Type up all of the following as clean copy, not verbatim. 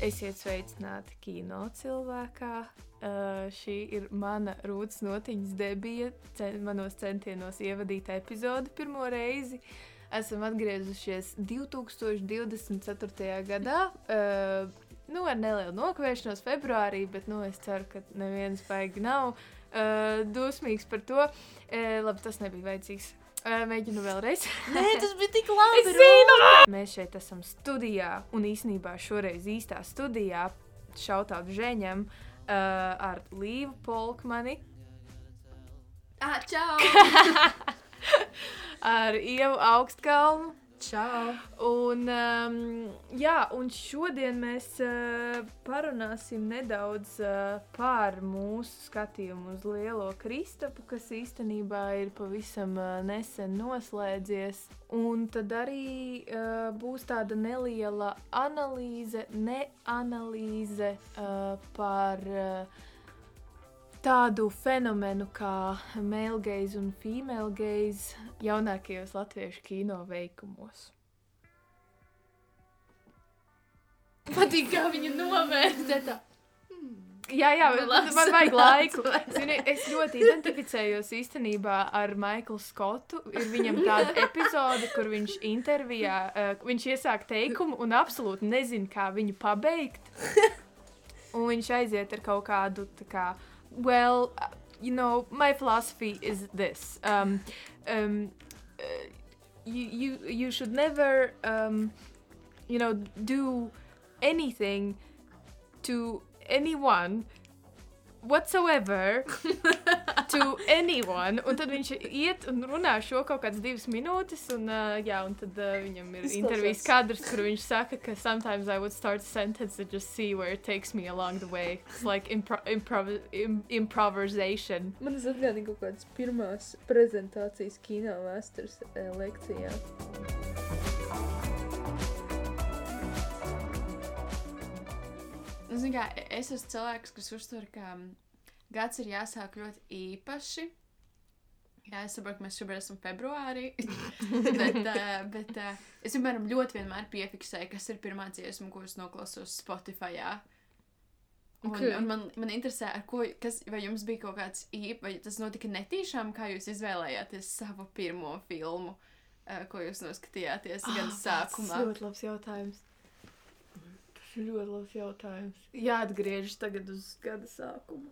Esiet sveicināti kino cilvēkā. Šī ir mana Rūtas Notiņas debija manos centienos ievadīt epizodi pirmo reizi. Esam atgriezušies 2024. gadā. Ar nelielu nokavēšanos februārī, bet es ceru, ka neviens baigi nav dusmīgs par to. Labi, tas nebija vajadzīgs. Mēģinu vēlreiz. Nē, tas bija tik labi. Es zinu! Mēs šeit esam studijā, un īsnībā šoreiz īstā studijā, šautāt Žeņam, ar Līvu Polkmani. Čau! Ar Ievu Augstkalnu. Čau! Un šodien mēs parunāsim nedaudz par mūsu skatījumu uz Lielo Kristapu, kas īstenībā ir pavisam nesen noslēdzies. Un tad arī būs tāda neliela neanalīze par tādu fenomenu kā male gaze un female gaze jaunākajos latviešu kino veikumos. Patīk, kā viņa novērtē tā. Jā, man vajag laiku. Zini, es ļoti identificējos īstenībā ar Maiklu Skotu. Ir viņam tāda epizode, kur viņš intervijā, viņš iesāk teikumu un absolūti nezin, kā viņu pabeigt. Un viņš aiziet ar kaut kādu tā kā well, my philosophy is this. You should never, do anything to anyone whatsoever to anyone. Un tad viņš iet un runā šo kaut kādas 2 minūtes, un tad viņam ir intervijas kadrs, kur viņš saka, ka sometimes I would start a sentence and just see where it takes me along the way. It's like improvisation. Man atgādina kaut kādas pirmās prezentācijas kino vēstures lekcijā. Zini kā, es esmu cilvēks, kas uztver, ka gads ir jāsāk ļoti īpaši. Jā, es saprotu, ka mēs šobrīd esam februārī, bet es ļoti vienmēr piefiksēju, kas ir pirmā dziesma, ko es noklausos Spotify'ā. Un man interesē, vai jums bija kaut kāds vai tas notika netīšām, kā jūs izvēlējāties savu pirmo filmu, ko jūs noskatījāties gan sākumā? Tas ļoti labs jautājums. Ļoti labs jautājums. Jāatgriežas tagad uz gada sākumu.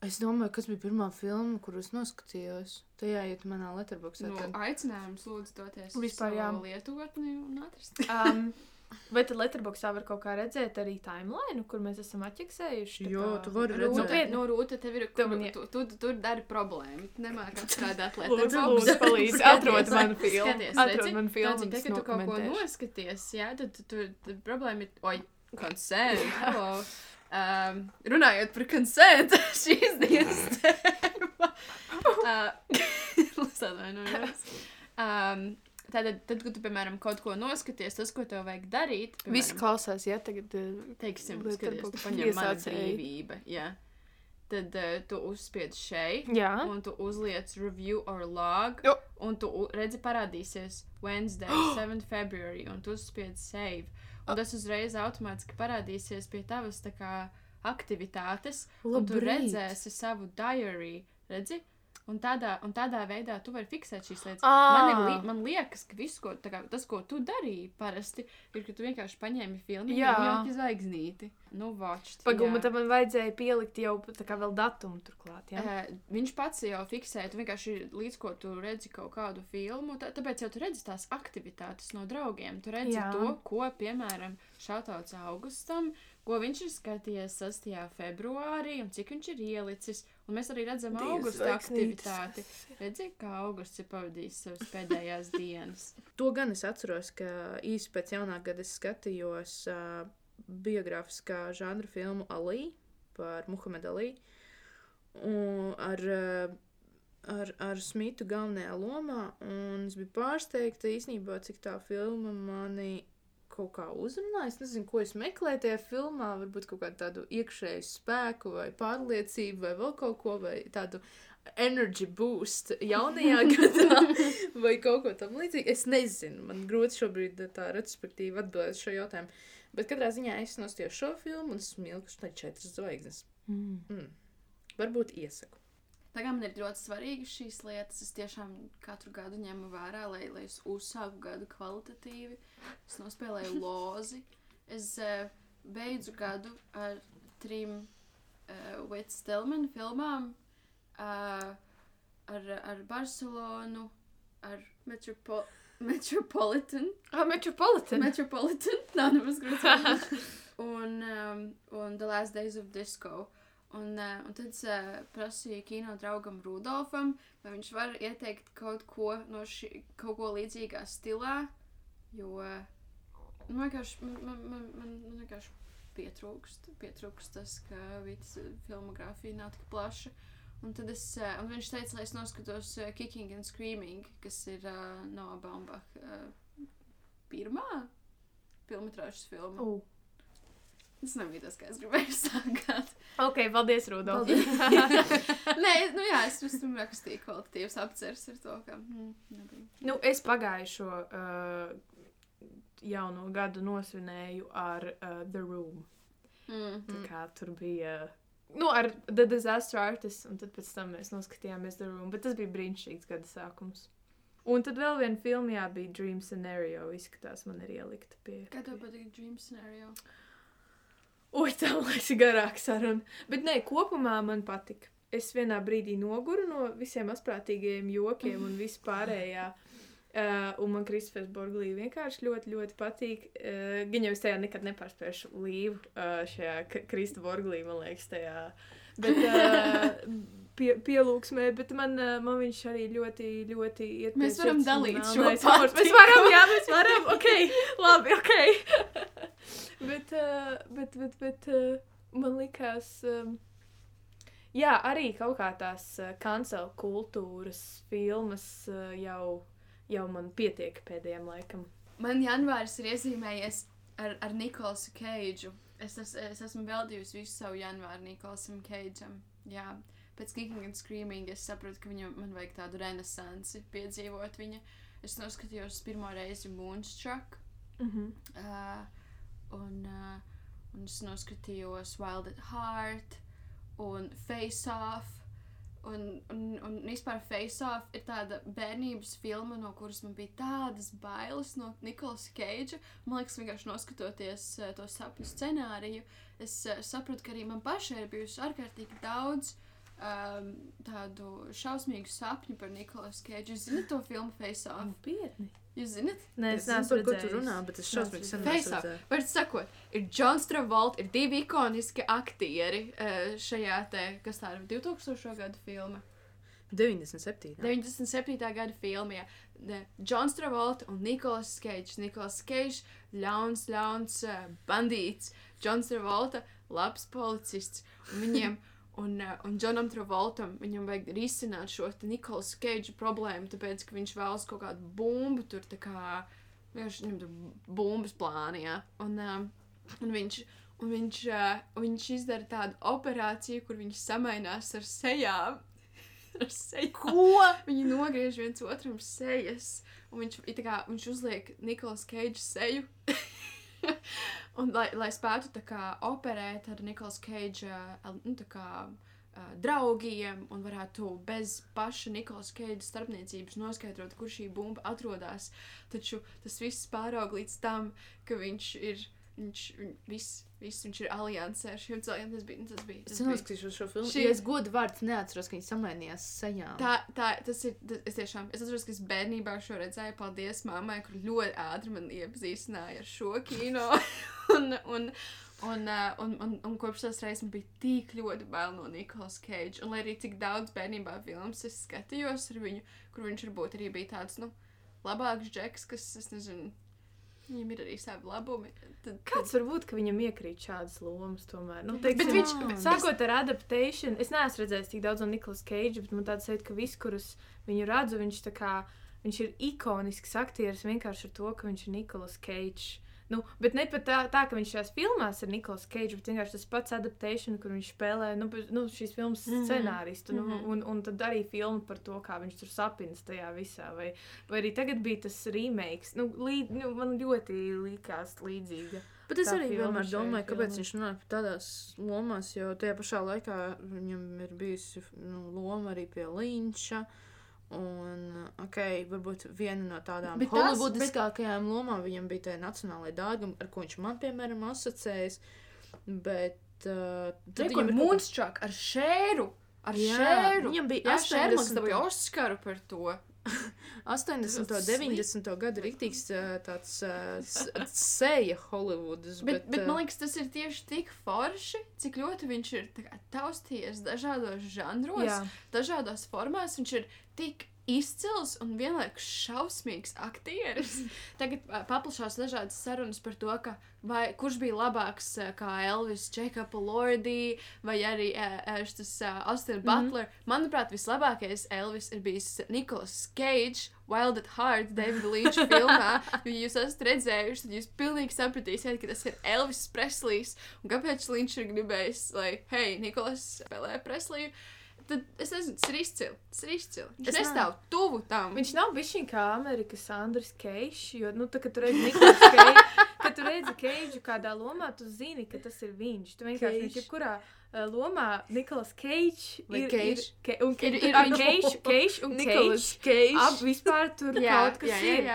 Es domāju, kas bija pirmā filma, kuru es noskatījos. Tajā iet manā letterboxā. Aicinājums lūdzu doties vispār, savu lietotni un atrast. Vai tad letterboxā var kaut kā redzēt arī timeline, kur mēs esam atķeksējuši? Jo, tu vari redzēt. Rūta, tev ir, tu dari problēmu. Tu nemāk atstrādāt letterboxu. Lūdzu, palīdz, atrod manu filmu. Atrod manu filmu. Tad, kad tu kaut ko noskaties, jā, tad problēma ir, consent, hello. Runājot par consent, šīs dienas tēma. Tad, kad tu, piemēram, kaut ko noskaties, tas, ko tev vajag darīt, piemēram, visi klausās, ja tagad teiksim, skaties, tu paņem mana brīvība, jā. Tad tu uzspied šeit, un tu uzliec review or log, un tu redzi parādīsies Wednesday, 7 February, un tu uzspied save. Un tas uzreiz automātiski parādīsies pie tavas tā kā aktivitātes, un tu redzēsi savu diary, redzi? Un tādā veidā tu vari fiksēt šīs lietas. Man liekas, ka visu, tas, ko tu darīji parasti, ir, ka tu vienkārši paņēmi filmu un jau zvaigznīti. Pagumma, tad man vajadzēja pielikt jau tā kā vēl datumu turklāt, jā? Viņš pats jau fiksēja, tu vienkārši līdz ko tu redzi kaut kādu filmu, tāpēc jau tu redzi tās aktivitātes no draugiem. Tu redzi to, ko, piemēram, šautauts Augustam, ko viņš ir skatījies 6. februārī un cik viņš ir ielicis. Un mēs arī redzam augusta aktivitāti. Redzi, kā augusts ir pavadījis savas pēdējās dienas. To gan es atceros, ka īsi pēc jaunā gada es skatījos biogrāfiskā žanra filmu Ali par Muhamedu Ali. Un ar Smitu galvenajā lomā. Un es biju pārsteigta īstenībā, cik tā filma mani kaut kā uzrunā. Es nezinu, ko es meklēju tajā filmā, varbūt kaut kādu tādu iekšēju spēku vai pārliecību vai vēl kaut ko, vai tādu energy boost jaunajā gadā vai kaut ko tam līdzīgi. Es nezinu, man grūti šobrīd tā retrospektīvi atbildēt šo jautājumu. Bet katrā ziņā es nostājos šo filmu un esmu ilguši 4 zvaigznes. Varbūt iesaku. Tagad man ir ļoti svarīgas šīs lietas. Es tiešām katru gadu ņemu vērā, lai es uzsāku gadu kvalitatīvi. Es nospēlēju lozi. Es beidzu gadu ar 3 Whit Stillman filmām. Ar Barcelonu, ar Metropolitan. Metropolitan. Nav nemaz grūti. Un The Last Days of Disco. Un tad es prasīju kino draugam Rudolfam, vai viņš var ieteikt kaut ko līdzīgā stilā, jo man vienkārši pietrūkst tas, ka Vītas filmogrāfija nav tik plaša. Un tad un viņš teica, lai es noskatos Kicking and Screaming, kas ir Noah Baumbach pirmā filmetrāžas filma. Tas nebija tas, kā es gribēju sākāt. Ok, paldies, Rudolf. Nē, es tur rakstīju kvalitatīvas apceres ar to, ka nebija. Es pagājušo jauno gadu nosvinēju ar The Room. Tā kā tur bija... ar The Disaster Artist, un tad pēc tam mēs noskatījāmies The Room, bet tas bija brīnišķīgs gada sākums. Un tad vēl viena filma, bija Dream Scenario, izskatās, man ir ielikta pie... Kā tev patīk Dream Scenario? Tā liekas garāk saruna. Bet nē, kopumā man patika. Es vienā brīdī noguru no visiem asprātīgajiem jokiem un vispārējā. Un man Kristofers Borglī vienkārši ļoti, ļoti patīk. Gan jau es tajā nekad nepārspēšu līvu šajā Krista Borglī, man liekas, tajā. Bet pielūgsmē, bet man viņš arī ļoti, ļoti iet. Mēs varam dalīt šo pārti. Mēs varam, ok, labi, ok. bet man likās, arī kaut kā tās cancel kultūras filmas jau man pietiek pēdējiem laikam. Man janvāris ir iezīmējies ar Nikolasu Keidžu. Es esmu veltījusi visu savu janvāru Nikolasam Keidžam. Jā, pēc Kicking and Screaming es saprotu, ka man vajag tādu renesansi piedzīvot viņa. Es noskatījos pirmo reizi Moonstruck. Un es noskatījos Wild at Heart un Face Off. Un vispār Face Off ir tāda bērnības filma, no kuras man bija tādas bailes no Nikolasa Keidža. Man liekas, vienkārši noskatoties to sapņu scenāriju, es sapratu, ka arī man pašai ir bijusi ārkārtīgi daudz tādu šausmīgu sapņu par Nikolasu Keidžu. Jūs zināt to filmu Face Off? Pietni. Jūs zināt? Nē, es neesmu redzējis. Par ko tu runā, bet es šausmīgi sen Face Off. Var sakot, ir Johns Travolta, ir 2 ikoniski aktieri šajā kas tā ir 2000. Gada filma. 97. 97. Gada filma, jā. Johns Travolta un Nicolas Cage. Nicolas Cage, ļauns bandīts. Johns Travolta, labs policists. Un viņiem... Un Johnam Travoltam viņam vajag risināt šo Nicolas Cage problēmu, tāpēc, ka viņš vēlas kaut kādu bumbu tur, tā kā, viņam tur bumbas plāni, jā. Un viņš izdara tādu operāciju, kur viņš samainās ar sejām. Ko? Viņi nogriež viens otram sejas, un viņš uzliek Nicolas Cage seju. Un, lai spētu tā kā operēt ar Nicolas Cage tā kā draugiem un varētu bez paša Nicolas Cage starpniecības noskaidrot, kur šī bumba atrodas. Taču tas viss pāraug līdz tam, ka viņš ir aliansē ar šiem cilvēkiem. Tas bija. Es noskatīšos šo filmu. Ja es godu vārds neatceros, ka viņi samainījās sejām. Es atceros, ka es bērnībā šo redzēju. Paldies mammai, kur ļoti ātri man iepazīstināja ar šo kino. Un kopš tās reizes man bija tik ļoti bail no Nicolas Cage. Un lai arī cik daudz bērnībā filmas es skatījos ar viņu, kur viņš varbūt arī bija tāds, labāks džeks, kas, es nezinu, viņam ir arī savi labumi. Kāds var būt, ka viņam iekrīt šādas lomas tomēr? Bet viņš, sākot ar adaptation, es neesmu redzējis tik daudz no Nicolas Cage, bet man tāds sajūta, ka viss, kurus viņu redzu, viņš ir ikonisks aktieris vienkārši ar to, ka viņš ir Nicolas Cage. Nu, bet ne pat tā, ka viņš šajās filmās ir Nicolas Cage, bet vienkārši tas pats adaptation, kur viņš spēlē, šīs filmas scenāristu, un tad arī filmu par to, kā viņš tur sapinas tajā visā, vai arī tagad bija tas remakes, man ļoti likās līdzīga. Bet es arī vienmēr domāju, kāpēc viņš runāja par tādās lomās, jo tajā pašā laikā viņam ir bijusi loma arī pie Linča. Un, varbūt viena no tādām holivudiskākajām lomām viņam bija tā nacionālajā dārguma, ar ko viņš man, piemēram, asociējas. Bet viņam ir Moonstruck ar Šēru. Viņam bija 80. dabūja Oskaru par to. 80. 90. gadu riktīgs tāds seja Holivudas. Bet man liekas, tas ir tieši tik forši, cik ļoti viņš ir taustījies dažādos žanros, dažādās formās. Viņš ir tik izcils un vienlaikus šausmīgs aktieris. Tagad paplašās dažādas sarunas par to, kurš bija labāks kā Elvis, Jacob Elordi vai arī Austin Butler. Manuprāt, vislabākais Elvis ir bijis Nicolas Cage, Wild at Heart, David Lynch filmā. Ja jūs esat redzējuši, tad jūs pilnīgi sapratīsiet, ka tas ir Elvis Preslejs. Un kāpēc Lynch ir gribējis, hei, Nicolas spēlē Presleju? Tad es nezinu, tas ir izcili. Viņš nestāv tuvu tam. Viņš nav bišķiņ kā Amerikas Andris Keišs, jo, kad tu redzi Nicolas Cage, kad tu redzi Keidžu kādā lomā, tu zini, ka tas ir viņš. Tu vienkārši viņš jebkurā lomā Nicolas Cage ir Cage un Nicolas Cage. Vispār tur kaut kas ir.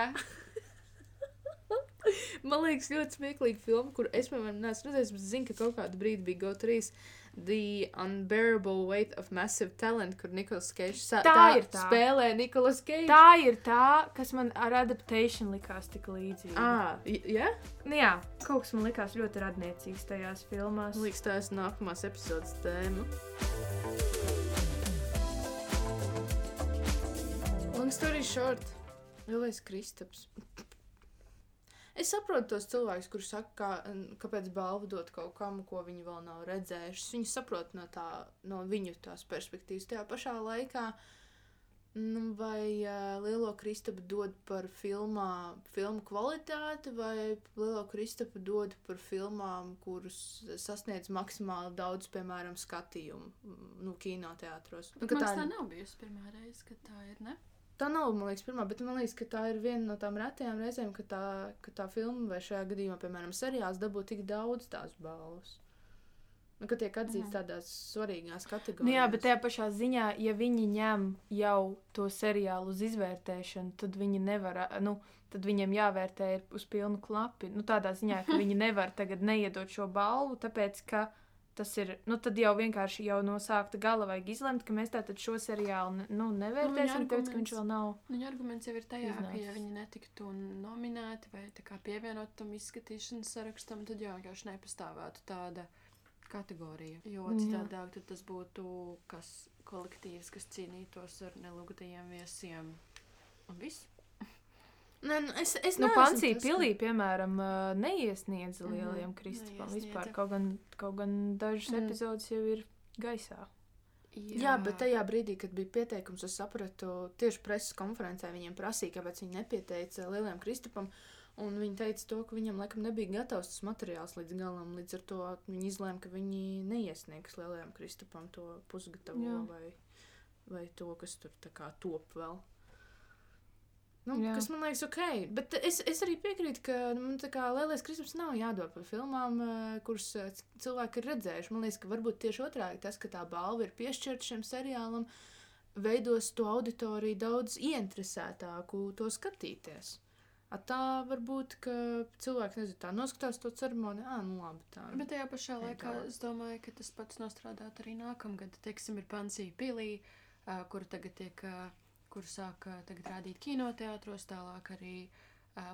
Man liekas, ļoti smieklīga filma, kur es, piemēram, neesmu redzējis, bet zinu, ka kaut kādu brīdi bija GO3 The Unbearable Weight of Massive Talent, kur Nicolas Cage spēlē Nicolas Cage. Tā ir tā, kas man ar adaptation likās tik līdzīgi. Jā? Jā, kaut kas man likās ļoti radniecīgs tajās filmās. Man liekas, tā ir nākamās epizodes tēma. Long story short, Lielais Kristaps. Es saprotu tos cilvēkus, kuri saka, kāpēc balvu dot kaut kam, ko viņi vēl nav redzējuši. Viņi saprot no viņu tās perspektīvas. Tajā pašā laikā, vai Lielo Kristapu dod par filmu kvalitāti, vai Lielo Kristapu dod par filmām, kurus sasniedz maksimāli daudz, piemēram, skatījumu, kinoteātros. Tā nav bijusi pirmā reize, kad tā ir, ne? Tā nav, man liekas, pirmā, bet man liekas, ka tā ir viena no tām retajām reizēm, ka tā filma vai šajā gadījumā, piemēram, seriāls dabū tik daudz tās balvas. Ka tiek atzīts tādās svarīgās kategorijās. Jā, bet tajā pašā ziņā, ja viņi ņem jau to seriālu uz izvērtēšanu, tad viņi nevar, tad viņiem jāvērtē uz pilnu klapi. Tādā ziņā, ka viņi nevar tagad neiedot šo balvu, tāpēc, ka tas ir, tad jau vienkārši jau no sākta gala vajag izlemt, ka mēs tātad šo seriālu nevērtēsim, tāpēc, ka viņš vēl nav. Viņa arguments jau ir tajā, ka ja viņi netiktu nominēti vai tā kā pievienot tam izskatīšanas sarakstam, tad jau vienkārši nepastāvētu tāda kategorija. Jo citādāk tad tas būtu kolektīvs, kas cīnītos ar nelūgtajiem viesiem. Un viss. Es Pansī pilī, piemēram, neiesniedza Lielajam Kristapam vispār, kaut gan dažas epizodes jau ir gaisā. Jā, bet tajā brīdī, kad bija pieteikums, es sapratu, tieši preses konferencē viņiem prasīja, kāpēc viņi nepieteica Lielajam Kristapam, un viņi teica to, ka viņam laikam nebija gatavs tas materiāls līdz galam, līdz ar to viņi izlēma, ka viņi neiesniegs Lielajam Kristapam to pusgatavo vai to, kas tur tā kā top vēl. Kas man liekas ok, bet es arī piekrītu, ka Lielais Kristaps nav jādod par filmām, kuras cilvēki ir redzējuši. Man liekas, ka varbūt tieši otrādi tas, ka tā balva ir piešķirta šiem seriālam, veidos to auditoriju daudz ieinteresētāku to skatīties. Tā varbūt, ka cilvēki, nezinu, tā noskatās to ceremoniju, labi tā. Bet tajā pašā laikā es domāju, ka tas pats nostrādāt arī nākamgad. Teiksim, ir Pansī pilī, kura tagad kur sāka tagad rādīt kinoteātros, tālāk arī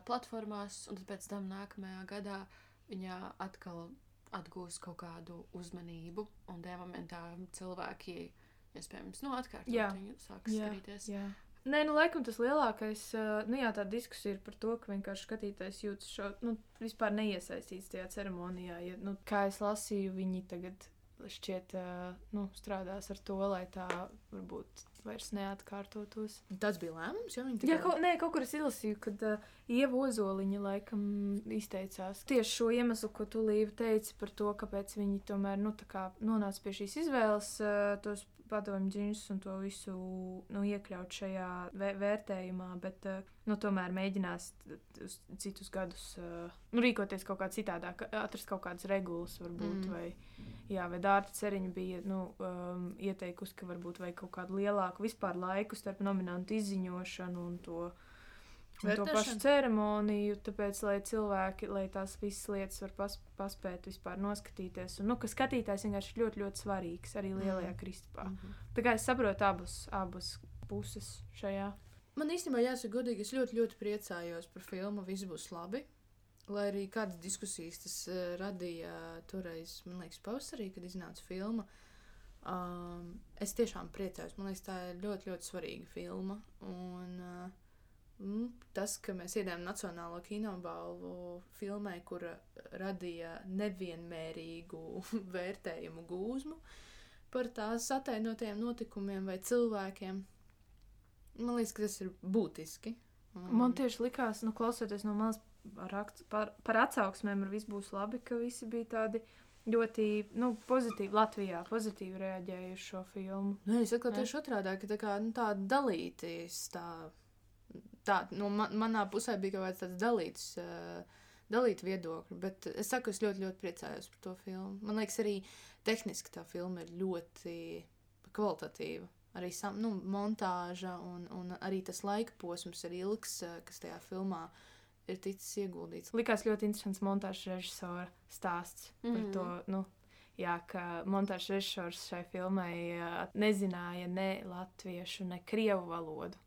platformās, un tad pēc tam nākamajā gadā viņa atkal atgūs kaut kādu uzmanību, un tajā momentā cilvēki, iespējams, atkārtot viņu sāk skatīties. Jā. Nē, laikam tas lielākais, tā diskusija ir par to, ka vienkārši skatītājs jūtas vispār neiesaistīts tajā ceremonijā. Ja, kā es lasīju, viņi tagad šķiet, strādās ar to, lai tā varbūt vairs neatkārtotos. Tas bija lēmums, ja viņi tikai... Jā, kaut kur es izlasīju, kad Ieva Ozoliņa laikam izteicās tieši šo iemeslu, ko tu, Līva, teici par to, kāpēc viņi tomēr, tā kā nonāca pie šīs izvēles, tos padomju džinsus un to visu iekļaut šajā vērtējumā, bet tomēr mēģinās uz citus gadus rīkoties kaut kā citādāk, atrast kaut kādas regulas varbūt, vai Dārta Ceriņa bija ieteikusi, ka varbūt vajag kaut kādu lielāku vispār laiku starp nominantu izziņošanu un to pašu ceremoniju, tāpēc, lai cilvēki, lai tās visas lietas var paspēt vispār noskatīties. Un, ka skatītājs vienkārši ir ļoti, ļoti svarīgs arī lielajā Kristupā. Tā kā es saprotu abas puses šajā. Man īstenībā jāsaka godīgi, es ļoti, ļoti priecājos par filmu Viss būs labi. Lai arī kādas diskusijas tas radīja toreiz, man liekas, pavasarī, kad iznāca filma. Es tiešām priecājos. Man liekas, tā ir ļoti, ļoti svarīga filma. Un tas, ka mēs iedējām Nacionālo kinobalvu filmai, kura radīja nevienmērīgu vērtējumu gūzmu par tās atainotajiem notikumiem vai cilvēkiem, man liekas, ka tas ir būtiski. Man tieši likās, klausoties no malas par atsauksmēm ar Viss būs labi, ka visi bija tādi ļoti pozitīvi, Latvijā pozitīvi reaģēja uz šo filmu. Es atkal tieši otrādā, ka tā dalīties manā pusē bija kaut kāds tāds dalīt viedokļi, bet es saku, es ļoti, ļoti priecājos par to filmu. Man liekas, arī tehniski tā filma ir ļoti kvalitatīva. Arī montāža un arī tas laika posms ir ilgs, kas tajā filmā ir ticis ieguldīts. Likās ļoti interesants montāžas režisora stāsts par to, ka montāžas režisors šai filmai nezināja ne latviešu, ne krievu valodu.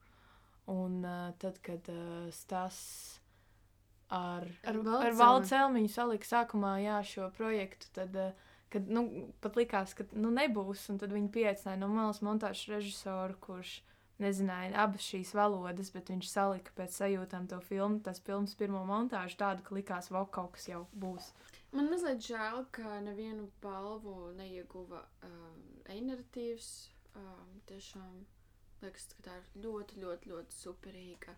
Un tad, kad stāsts ar Valdu Celmiņu salika sākumā šo projektu, tad pat likās, ka nebūs, un tad viņi pieaicināja no malas montāžas režisoru, kurš nezināja abas šīs valodas, bet viņš salika pēc sajūtām to filmu, tas filmas pirmo montāžu tādu, ka likās, kaut kas jau būs. Man mazliet žēl, ka nevienu balvu neieguva e-narratīvs, tiešām. Liekas, ka tā ir ļoti, ļoti, ļoti superīga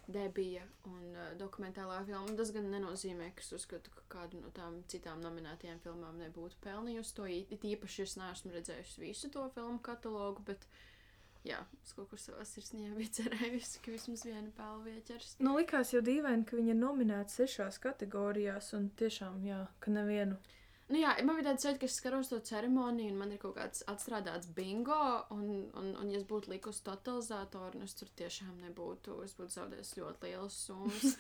debija un dokumentālā filma. Tas gan nenozīmē, ka es uzskatu, ka kādu no tām citām nominētajām filmām nebūtu pelnījusi to. Īpaši es neesmu redzējusi visu to filmu katalogu, bet es kaut kur savā sirsnī biju cerējusi, ka vismaz viena balva ieķers. Likās jau dīvaini, ka viņa ir nominēta 6 kategorijās un tiešām, ka nevienu. Man bija tāds sajūta, ka es skaros to ceremoniju, un man ir kaut kāds atstrādāts bingo, un ja es būtu likusi totalizatoru, es tur tiešām nebūtu, es būtu zaudējis ļoti lielas summas.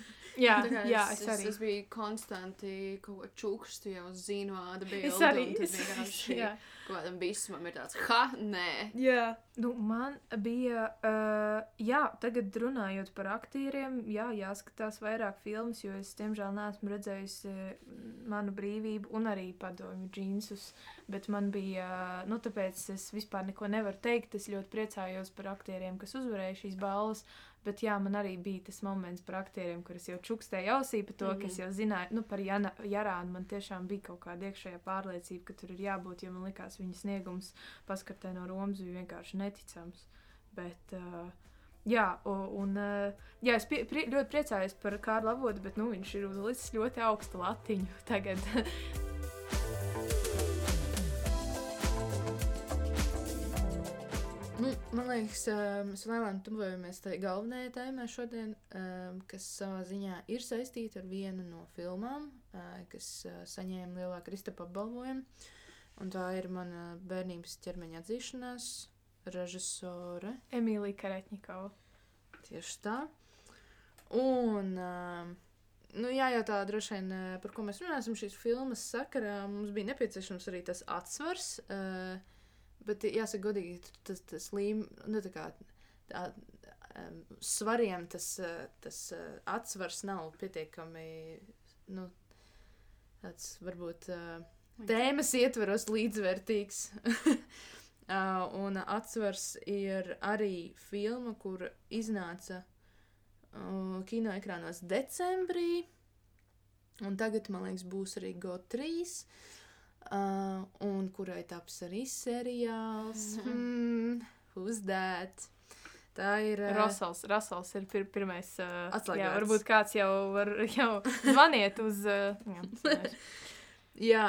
es arī. Es biju konstanti kaut ko čukstu jau uz zīnoāda bildu. Es arī. Un tad vienkārši kaut kādam visumam ir tāds, nē. Jā. Man bija, tagad runājot par aktieriem, jāskatās vairāk filmas, jo es, diemžēl, neesmu redzējusi Manu brīvību un arī Padomju džinsus, bet man bija, tāpēc es vispār neko nevaru teikt, es ļoti priecājos par aktieriem, kas uzvarēja šīs balvas, bet man arī bija tas moments par aktieriem, kur es jau čukstēju ausī par to, ka es jau zināju, par Jarānu man tiešām bija kaut kāda iekšējā pārliecība, ka tur ir jābūt, jo man likās viņa sniegums Paskartē no Romas bija vienkārši neticams, bet... es ļoti priecājos par Kārli Avotu, bet viņš ir uzlicis ļoti augstu latiņu tagad. Man liekas, mēs lēnām tuvojamies tai galvenajai tēmai šodien, kas savā ziņā ir saistīta ar vienu no filmām, kas saņēma lielā Kristapa apbalvojumu, un tā ir mana bērnības ķermeņa atzīšanās režisore Emīlija Karetņikova. Tieši tā. Un, jājautā droši vien, par ko mēs runāsim šīs filmas sakarā, mums bija nepieciešams arī tas atsvars, bet jāsaka godīgi, tas svariem tas atsvars nav pietiekami, tāds varbūt tēmas ietveros līdzvērtīgs. Un atsvars ir arī filma, kur iznāca kinoekrānos decembrī, un tagad, man liekas, būs arī GO3, un kurai taps arī seriāls. Who's that? Tā ir... Rasels ir pirmais. Atslēgvārds. Jā, varbūt kāds jau zvaniet uz... Jā,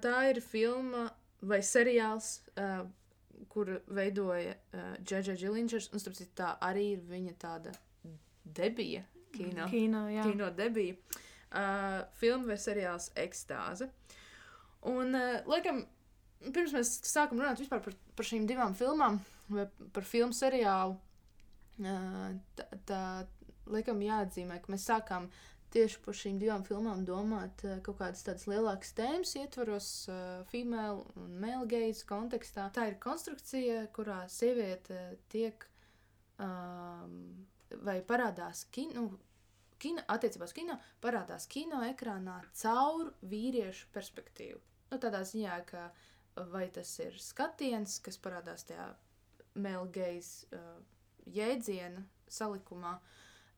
tā ir filma vai seriāls, kur veidoja J.J. Gillingers, un starp citu tā arī ir viņa tāda debija kino. Kino debija. Filma vai seriāls Ekstāze. Un, laikam, pirms mēs sākam runāt vispār par šīm divām filmām, vai par filmu seriālu, tā laikam jāatzīmē, ka mēs sākām tieši par šīm divām filmām domāt kaut kādas tādas lielākas tēmas ietvaros female un male gaze kontekstā. Tā ir konstrukcija, kurā sieviete tiek vai parādās attiecībās kino, parādās kino ekrānā caur vīriešu perspektīvu. Nu, tādā ziņā, ka vai tas ir skatiens, kas parādās tajā male gaze jēdziena salikumā,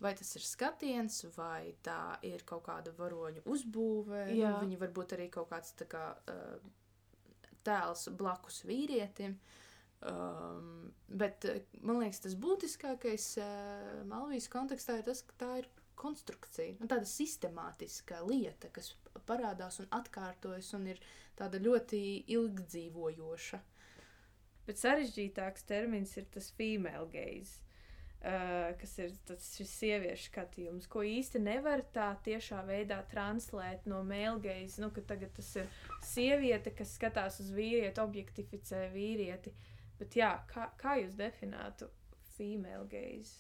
vai tas ir skatiens, vai tā ir kaut kāda varoņu uzbūve, viņi varbūt arī kaut kāds tā kā tēls blakus vīrietim. Bet, man liekas, tas būtiskākais Malvijas kontekstā ir tas, ka tā ir konstrukcija, tāda sistemātiska lieta, kas parādās un atkārtojas un ir tāda ļoti ilgdzīvojoša. Bet sarežģītāks termins ir tas female gaze, kas ir šis sieviešu skatījums, ko īsti nevar tā tiešā veidā translēt no male gaze, ka tagad tas ir sieviete, kas skatās uz vīrieti, objektificē vīrieti. Bet jā, kā jūs definētu female gaze?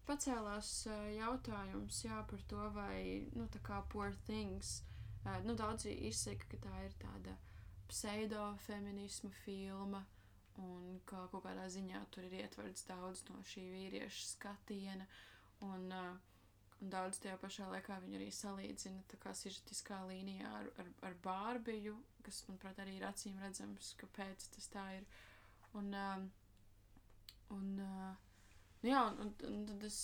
Pacēlās jautājums, par to, vai, tā kā Poor Things, daudzi izsaka, ka tā ir tāda pseido-feminisma filma, un ka kaut kādā ziņā tur ir ietverts daudz no šī vīrieša skatiena, un daudz tajā pašā laikā viņu arī salīdzina tā kā sižetiskā līnijā ar Bārbiju, kas, manuprāt, arī ir acīm redzams, kāpēc tas tā ir. Un tad es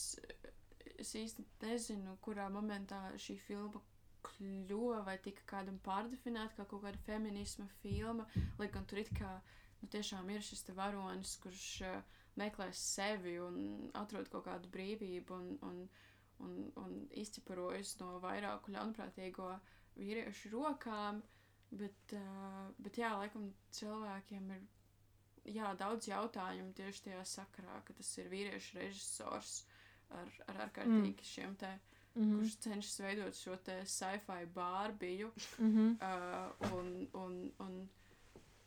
īsti nezinu, kurā momentā šī filma kļuva vai tika kādam pārdefinēta kā kaut kāda feminisma filma, lai gan tur it kā tiešām ir šis te varonis, kurš meklēs sevi un atrod kaut kādu brīvību un izķeparojas no vairāku ļaunprātīgo vīriešu rokām, bet laikam cilvēkiem ir daudz jautājumu tieši tajā sakarā, ka tas ir vīriešu režisors ar ārkārtīgi šiem te kurš cenšas veidot šo te sci-fi Bārbiju un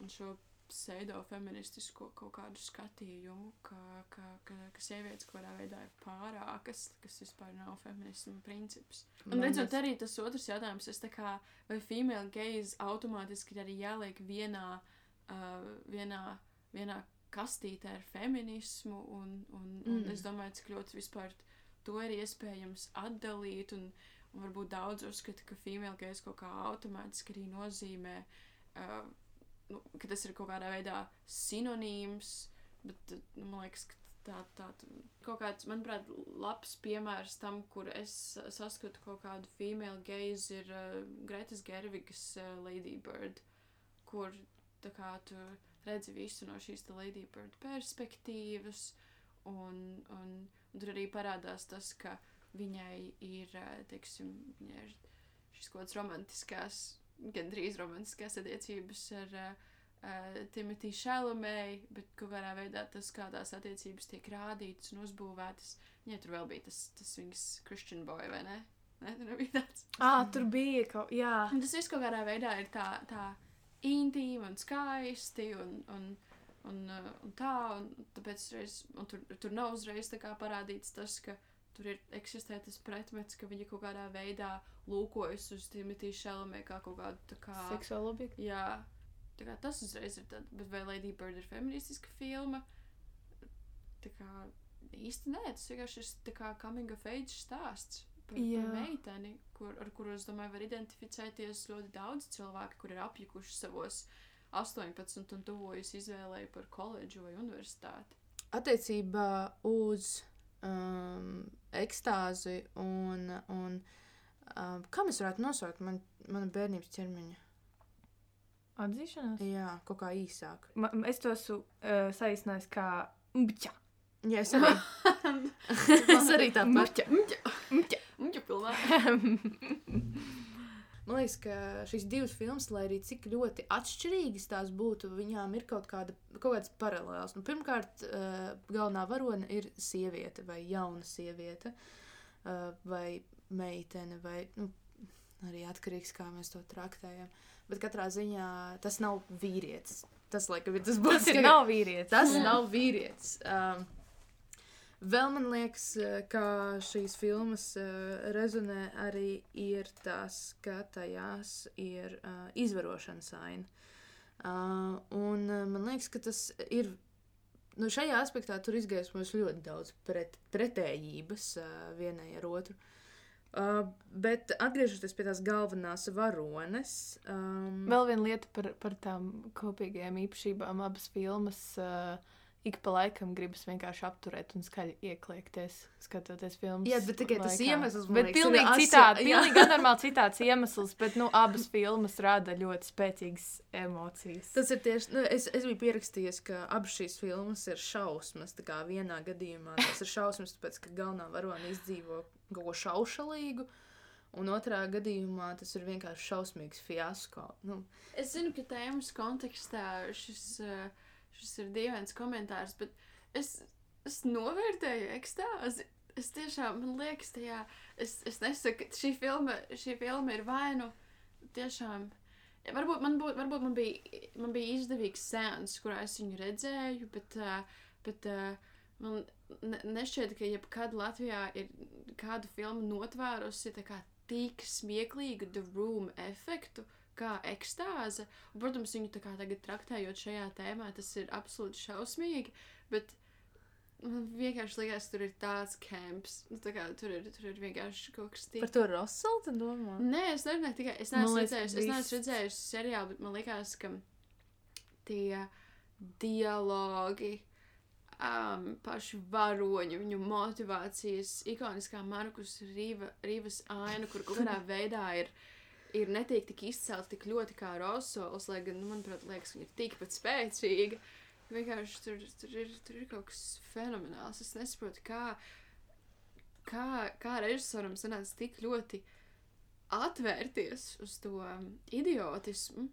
šo pseido-feministisko kaut kādu skatījumu, ka sievietes kaut kādā veidā ir pārākas, kas vispār nav feminisma princips. Un redzot arī tas otrs jautājums, vai female gaze automātiski arī jāliek vienā kastītē ar feminismu, un es domāju, cik ļoti vispār to ir iespējams atdalīt, un varbūt daudz uzskata, ka female gaze kaut kā automātiski arī nozīmē, ka tas ir kaut kādā veidā sinonīms, bet man liekas, ka tā kaut kāds, manuprāt, labs piemērs tam, kur es saskatu kaut kādu female gaze, ir Gretas Gervigas Lady Bird, kur tā kā tu redzi visu no šīs Lady Bird perspektīvas, un tur arī parādās tas, ka viņai ir, teiksim, viņai ir šis kaut kāds romantiskās, gandrīz romantiskās attiecības ar Timothy Chalamet, bet kaut kādā veidā tas, kādās attiecības tiek rādītas un uzbūvētas, viņai tur vēl bija tas viņas Christian boy, vai ne? Ne, tur nebija tāds. Tur bija kaut, jā. Un tas viss kaut kādā veidā ir tā intīmi un skaisti un tā, un tāpēc tur nav uzreiz tā kā parādīts tas, ka tur eksistē tas pretmets, ka viņa kaut kādā veidā lūkojas uz Timothy Chalamet kā kaut kādu tā kā... seksuālu objektu? Jā, tā kā tas uzreiz ir tad, bet vai Lady Bird ir feministiska filma? Tā kā īsti nē, tas vienkārši ir tā kā coming of age stāsts par meiteni, ar kuru, es domāju, var identificēties ļoti daudz cilvēki, kur ir apjukuši savos 18 un tuvojas izvēlēji par koledžu vai universitāti. Attiecībā uz ekstāzi un kā mēs varētu nosaukt mana bērnības ķermeņa? Atzīšanās? Jā, kaut kā īsāk. Es to esmu saīsinājis kā mķa. Jā, es arī. Es arī tā pat. Mķa pilnā. Man liekas, ka šīs divas filmas, lai arī cik ļoti atšķirīgas tās būtu, viņām ir kaut kāds paralēls. Nu, pirmkārt, galvenā varone ir sieviete vai jauna sieviete vai meitene vai arī atkarīgs, kā mēs to traktējam. Bet katrā ziņā tas nav vīrietis. Tas, laikam, ir tas būs. Tas nav vīrietis. Tas nav vīrietis. Vēl man liekas, ka šīs filmas rezonē arī ir tas, ka tajās ir izvarošanas aina. Un man liekas, ka tas ir, šajā aspektā tur izgaismojas ļoti daudz pretējības vienai ar otru. Bet atgriežoties pie tās galvenās varones. Vēl viena lieta par tām kopīgajām īpašībām, abas filmas ik pa laikam gribas vienkārši apturēt un skaļi iekliekties, skatoties filmas. Jā, bet tikai tas iemesls, man liekas, pilnīgi anormāli citāds iemesls, bet, abas filmas rada ļoti spēcīgas emocijas. Tas ir tieši, es biju pierakstījies, ka abas šīs filmas ir šausmas, tā kā vienā gadījumā tas ir šausmas, tāpēc, ka galvenā varona izdzīvo kaut ko šaušalīgu, un otrā gadījumā tas ir vienkārši šausmīgs fiasko. Es zinu, ka tēmas kontekstā šis ir dīvains komentārs, bet es novērtēju ekstāzi. Es tiešām, man liekas, es nesaku, ka šī filma ir vainu tiešām. Varbūt man bija izdevīgs seans, kurā es viņu redzēju, bet man nešķiet, ka jebkad Latvijā ir kādu filmu notvērusi tā kā tik smieklīgu The Room efektu, kā ekstāze. Un, protams, viņu tā kā tagad traktējot šajā tēmā, tas ir absolūti šausmīgi, bet man vienkārši liekas, tur ir tāds camps. Tā kā tur ir vienkārši kaut kas tik... Par to Russell, tu domā? Nē, es nerunāju tikai, es neesmu redzējusi seriālu, bet man liekas, ka tie dialogi, paši varoņi, viņu motivācijas, ikoniskā Markus Rīvas aina, kur kaut kādā veidā ir netiek tik izcelt tik ļoti kā Rosols, lai gan, manuprāt, liekas, viņa ir tikpat spēcīga. Vienkārši tur ir kaut kas fenomenāls. Es nesaprotu, kā režisoram sanāca tik ļoti atvērties uz to idiotismu.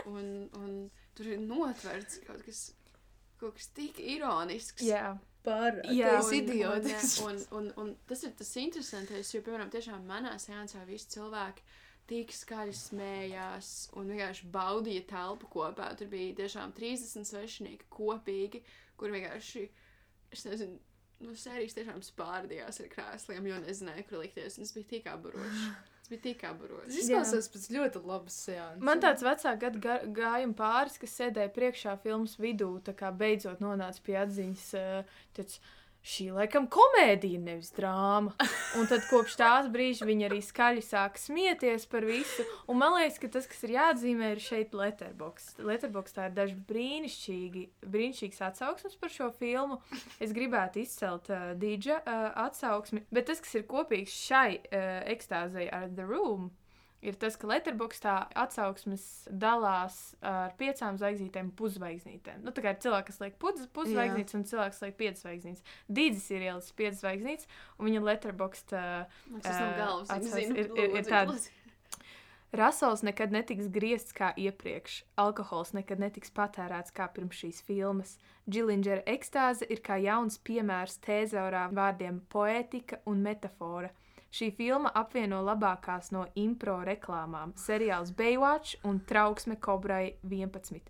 Un tur ir notverts kaut kas tik ironisks. Jā. Tas idiotisks. Un tas ir tas interesantais, jo, piemēram, tiešām manā seansā visi cilvēki tik skaļi smējās un vienkārši baudīja telpu kopā. Tur bija tiešām 30 svešinieki kopīgi, kur vienkārši, es nezinu, sērijas tiešām spārdījās ar krēsliem, jo nezināja, kur likties, un es biju tik aburoši. Tas izklausās pēc ļoti labas seanses. Man tāds vecā gada gājuma pāris, kas sēdēja priekšā filmas vidū, tā kā beidzot nonāca pie atziņas, tāds, šī laikam komēdija, nevis drāma. Un tad kopš tās brīža viņi arī skaļi sāk smieties par visu. Un man liekas, ka tas, kas ir jāatzīmē, ir šeit Letterboxd. Letterboxdā ir daži brīnišķīgs atsauksmes par šo filmu. Es gribētu izcelt Dīdža atsauksmi, bet tas, kas ir kopīgs šai ekstāzei ar The Room, ir tas, ka Letterboxdā atsauksmes dalās ar 5 zvaigznītēm, puszvaigznītēm. Tā kā ir cilvēki, kas liek puszvaigznītes un cilvēks liek 5 zvaigznītes. Dīdzis ir ielis 5 zvaigznītes, un viņa Letterboxd ir tāda. Russells nekad netiks griezts kā iepriekš. Alkohols nekad netiks patērēts kā pirms šīs filmas. Džilingera ekstāze ir kā jauns piemērs tēzaurā vārdiem poētika un metafora. Šī filma apvieno labākās no impro reklāmām, seriāls Baywatch un trauksme Kobrai 11.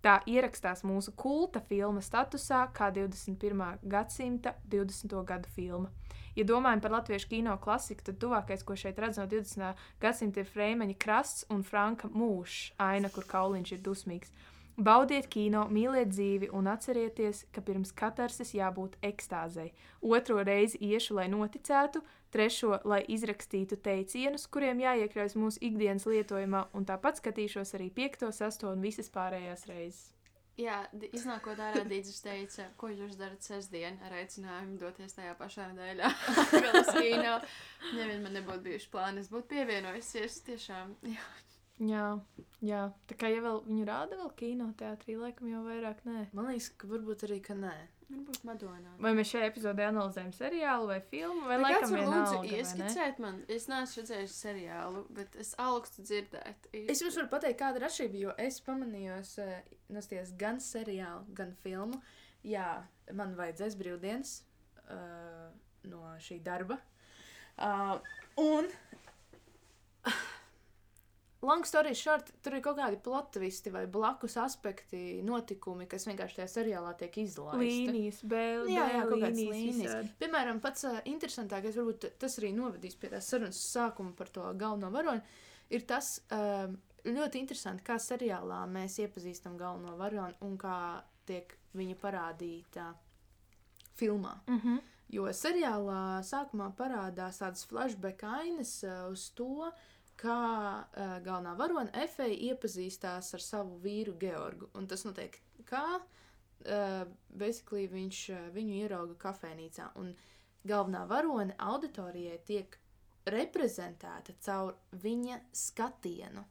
Tā ierakstās mūsu kulta filma statusā kā 21. gadsimta 20. gadu filma. Ja domājam par latviešu kino klasiku, tad tuvākais, ko šeit redz no 20. gadsimta, ir Freimaņa Krasts un Franka Mūšs, aina, kur kauliņš ir dusmīgs. Baudiet kino, mīliet dzīvi un atcerieties, ka pirms katarsis jābūt ekstāzei. 2. reizi iešu, lai noticētu, 3. lai izrakstītu teicienus, kuriem jāiekļaujas mūsu ikdienas lietojumā, un tāpat skatīšos arī 5., 6. un visas pārējās reizes. Jā, iznākot ārā Dīdzis teica, ko jūs darat sestdien ar aicinājumu doties tajā pašā nedēļā vēl uz kino. Nevien man nebūtu bijuši plāni, es būtu pievienojusies tiešām, jā. Jā. Tā kā ja vēl viņu rāda vēl kinoteātrī, laikam jau vairāk nē. Man liekas, ka varbūt arī, ka nē. Varbūt Madonā. Vai mēs šajā epizodē analizējam seriālu vai filmu, vai laikam vienalga, vai ne? Ieskicēt man, es neesmu redzējuši seriālu, bet es augstu dzirdēt. Es jums varu pateikt, kāda ir atšķirība, jo es pamanījos nostties gan seriālu, gan filmu. Jā, man vajadzēs brīvdienas no šī darba. Un long story short, tur ir kaut kādi plot twisti vai blakus aspekti, notikumi, kas vienkārši tajā seriālā tiek izlaisti. Līnijas, jā, kaut kādas līnijas. Piemēram, pats interesantākais, varbūt tas arī novedīs pie tās sarunas sākuma par to galveno varoni, ir tas ļoti interesanti, kā seriālā mēs iepazīstam galveno varoni un kā tiek viņa parādīta filmā. Jo seriālā sākumā parādās tādas flashback ainas uz to, kā galvenā varone Efeja iepazīstās ar savu vīru Georgu. Un tas notiek kā, basically viņš viņu ierauga kafejnīcā. Un galvenā varone auditorijai tiek reprezentēta caur viņa skatienu.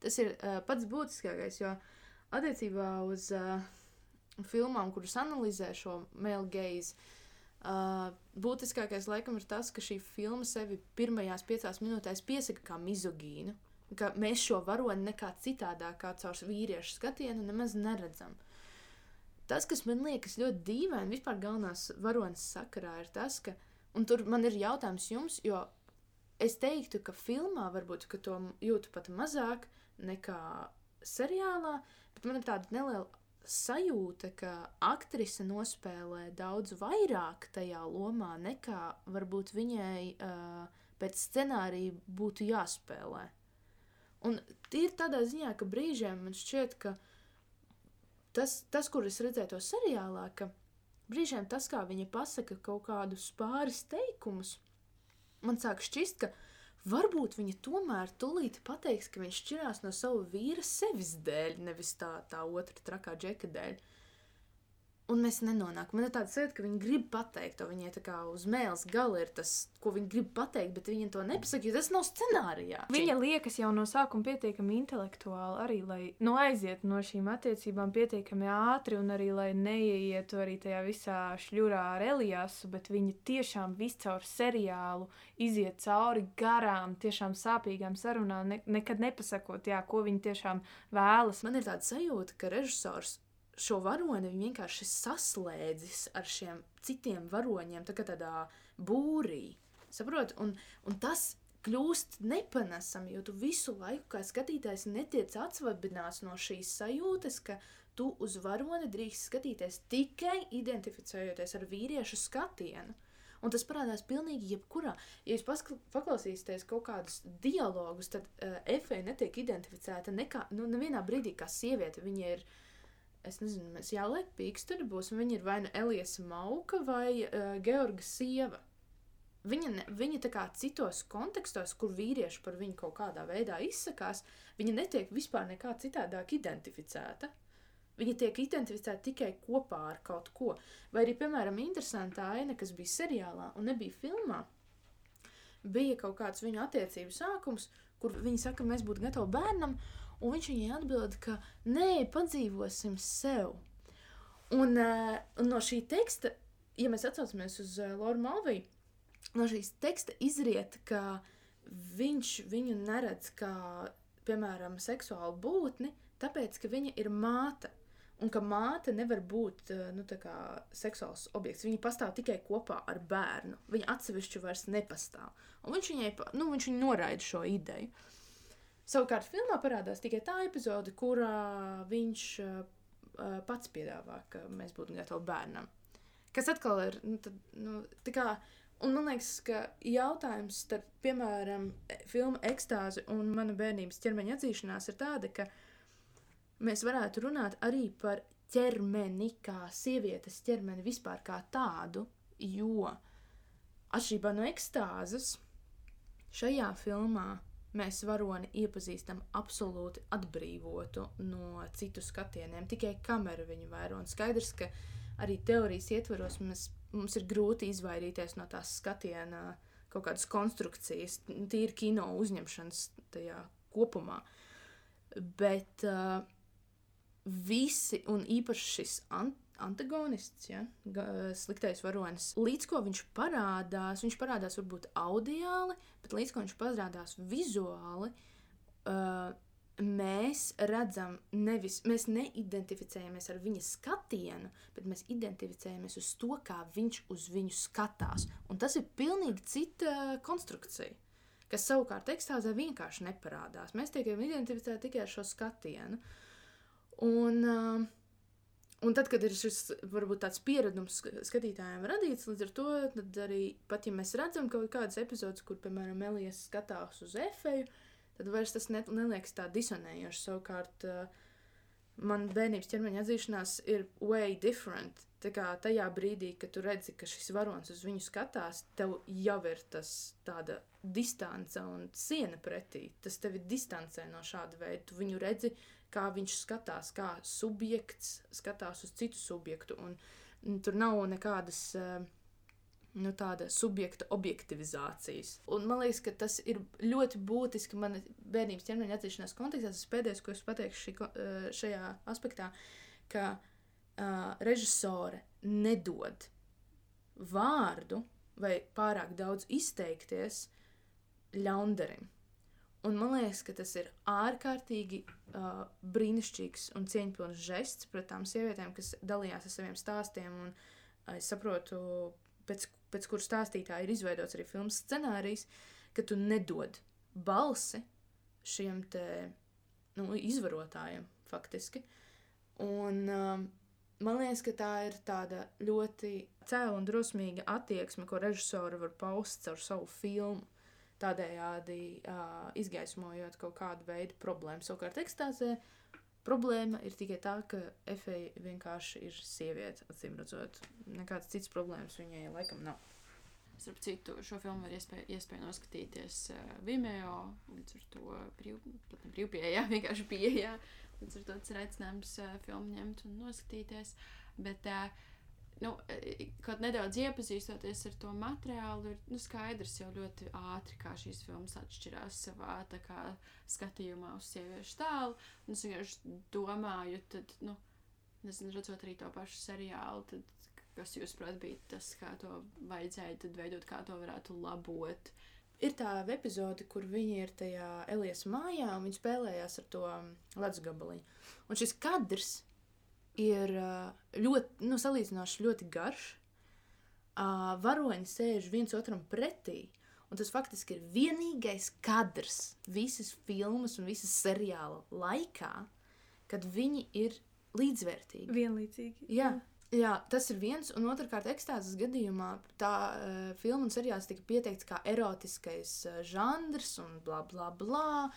Tas ir pats būtiskākais, jo attiecībā uz filmām, kuras analizē šo male gaze, būtiskākais laikam ir tas, ka šī filma sevi pirmajās 5 minūtēs piesaka kā mizogīnu, ka mēs šo varoni nekā citādāk kā caur vīriešu skatienu nemaz neredzam. Tas, kas man liekas ļoti dīvaini vispār galvenās varonas sakarā, ir tas, ka, un tur man ir jautājums jums, jo es teiktu, ka filmā varbūt, ka to jūtu pat mazāk nekā seriālā, bet man ir tāda neliela sajūta, ka aktrise nospēlē daudz vairāk tajā lomā, nekā varbūt viņai pēc scenārija būtu jāspēlē. Un ir tādā ziņā, ka brīžiem man šķiet, ka tas, kur es redzēju to seriālā, ka brīžiem tas, kā viņa pasaka kaut kādus pāris teikumus, man sāk šķist, ka varbūt viņa tomēr tūlīt pateiks, ka viņš šķirās no savu vīra sevis dēļ, nevis tā otra trakā džeka dēļ. Un mēs nenonākam. Man ir tāda sajūta, ka viņa grib pateikt to, viņai tā kā uz mēles gala ir tas, ko viņa grib pateikt, bet viņa to nepasaka, jo tas nav scenārijā. Viņa liekas jau no sākuma pietiekami intelektuāli arī, lai aiziet no šīm attiecībām pietiekami ātri un arī, lai neieietu arī tajā visā šļurā ar Eliasu, bet viņa tiešām viscaur seriālu iziet cauri garām, tiešām sāpīgām sarunām, nekad nepasakot, ko viņa tiešām vēlas. Man ir tāda sajūta, ka režisors šo varoni viņi vienkārši saslēdzis ar šiem citiem varoņiem, tā kā tādā būrī. Saprot? Un tas kļūst nepanesami, jo tu visu laiku kā skatītājs netiec atsvabināts no šīs sajūtas, ka tu uz varoni drīkst skatīties tikai identificējoties ar vīriešu skatienu. Un tas parādās pilnīgi jebkurā. Ja jūs paklausīsieties kaut kādus dialogus, tad Efeja netiek identificēta nevienā brīdī kā sieviete. Viņa ir, es nezinu, mēs jāliek pīksturi būs, un viņa ir vai nu Eliasa Mauka vai Georga sieva. Viņa tā kā citos kontekstos, kur vīrieši par viņu kaut kādā veidā izsakās, viņa netiek vispār nekā citādāk identificēta. Viņa tiek identificēta tikai kopā ar kaut ko. Vai arī, piemēram, interesanta aina, kas bija seriālā un nebija filmā, bija kaut kāds viņu attiecību sākums, kur viņi saka, ka mēs būtu gatavi bērnam, un viņš viņai atbild, ka nē, padzīvosim sev. Un no šī teksta, ja mēs atsaucamies uz Lauru Malviju, no šīs teksta izriet, ka viņš viņu neredz kā, piemēram, seksuālu būtni, tāpēc, ka viņa ir māte. Un ka māte nevar būt tā kā seksuāls objekts. Viņa pastāv tikai kopā ar bērnu. Viņa atsevišķi vairs nepastāv. Un viņš viņu noraida šo ideju. Savukārt filmā parādās tikai tā epizode, kurā viņš pats piedāvā, ka mēs būtu gatavi bērnam. Kas atkal ir, tā kā, un man liekas, ka jautājums starp, piemēram, filmu Ekstāzi un mana bērnības ķermeņa atzīšanās ir tāda, ka mēs varētu runāt arī par ķermeni, kā sievietes ķermeni vispār kā tādu, jo atšķirībā no Ekstāzes šajā filmā mēs varoni iepazīstam absolūti atbrīvotu no citu skatieniem, tikai kamera viņu vēro. Un skaidrs, ka arī teorijas ietvaros mums ir grūti izvairīties no tās skatiena kaut kādas konstrukcijas, tīri kino uzņemšanas tajā kopumā. Bet visi, un īpaši šis antagonists, ja, sliktais varonis, līdz ko viņš parādās varbūt audiāli, bet līdz ko viņš parādās vizuāli, mēs redzam mēs neidentificējamies ar viņa skatienu, bet mēs identificējamies uz to, kā viņš uz viņu skatās. Un tas ir pilnīgi cita konstrukcija, kas savukārt ekstāzē vienkārši neparādās. Mēs tiekam identificēti tikai ar šo skatienu. Un tad, kad ir šis, varbūt tāds pieredums skatītājiem radīts, līdz ar to, tad arī, pat ja mēs redzam kaut kādas epizodes, kur, piemēram, Elijas skatās uz Efeju, tad vairs tas neliekas tā disonējoši. Savukārt, man bērnības ķermeņa atzīšanās ir way different. Tā kā tajā brīdī, kad tu redzi, ka šis varonis uz viņu skatās, tev jau ir tas tāda distance un siena pretī. Tas tevi distancē no šāda veida. Tu viņu redzi, kā viņš skatās, kā subjekts skatās uz citu subjektu. Un tur nav nekādas tāda subjekta objektivizācijas. Un man liekas, ka tas ir ļoti būtiski man bērnības ķermeņa atzīšanās kontekstā. Tas pēdējais, ko es pateikšu šajā aspektā, ka režisore nedod vārdu vai pārāk daudz izteikties ļaundarim. Un man liekas, ka tas ir ārkārtīgi brīnišķīgs un cieņpilns žests pret tām sievietēm, kas dalījās ar saviem stāstiem. Un es saprotu, pēc kuru stāstītāji ir izveidots arī filmas scenārijs, ka tu nedod balsi šiem te izvarotājiem faktiski. Un man liekas, ka tā ir tāda ļoti cēla un drosmīga attieksme, ko režisori var paust caur savu filmu, tādējādi izgaismojot kaut kādu veidu problēmu. Savukārt ekstāzē problēma ir tikai tā, ka Efeja vienkārši ir sieviete, acīmredzot. Nekādas citas problēmas viņai laikam nav. Starp citu, šo filmu var iespēja noskatīties Vimeo, līdz ar to brīvpieejā, vienkārši pieejā. Līdz ar to tas ir aicinājums filmu ņemt un noskatīties. Bet kaut nedaudz iepazīstoties ar to materiālu, ir skaidrs jau ļoti ātri, kā šīs filmas atšķirās savā tā kā skatījumā uz sieviešu tēlu. Un es vienkārši domāju, tad, nezinu, redzot arī to pašu seriālu, tad, kas jūs prāt bija tas, kā to vajadzēja tad veidot, kā to varētu labot. Ir tā epizode, kur viņi ir tajā Elijas mājā, un viņi spēlējās ar to ledus gabaliņu. Un šis kadrs ir ļoti, salīdzinoši ļoti garš. Varoņi sēž viens otram pretī, un tas faktiski ir vienīgais kadrs visas filmas un visas seriāla laikā, kad viņi ir līdzvērtīgi. Vienlīdzīgi. Jā, tas ir viens, un otrkārt ekstāzes gadījumā tā filma un seriāls tika pieteikts kā erotiskais žanrs un blā, blā, blā.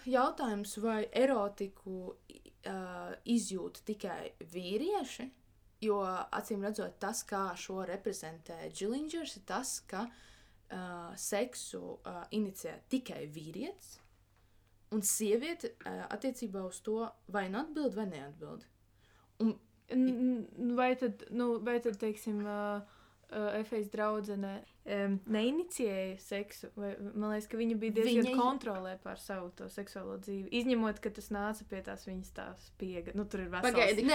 Jautājums, vai erotiku izjūt tikai vīrieši, jo acīm redzot tas, kā šo reprezentē Gillingers, ir tas, ka seksu inicē tikai vīrietis, un sieviete attiecībā uz to vai nu atbild, vai neatbild. Vai tad, teiksim, Efejas draudzene neinicijēja seksu? Vai, man liekas, ka viņa bija diezgan kontrolē pār savu to seksuālo dzīvi. Izņemot, ka tas nāca pie tās viņas tā spiega. Tur ir vesels... Pagaidi,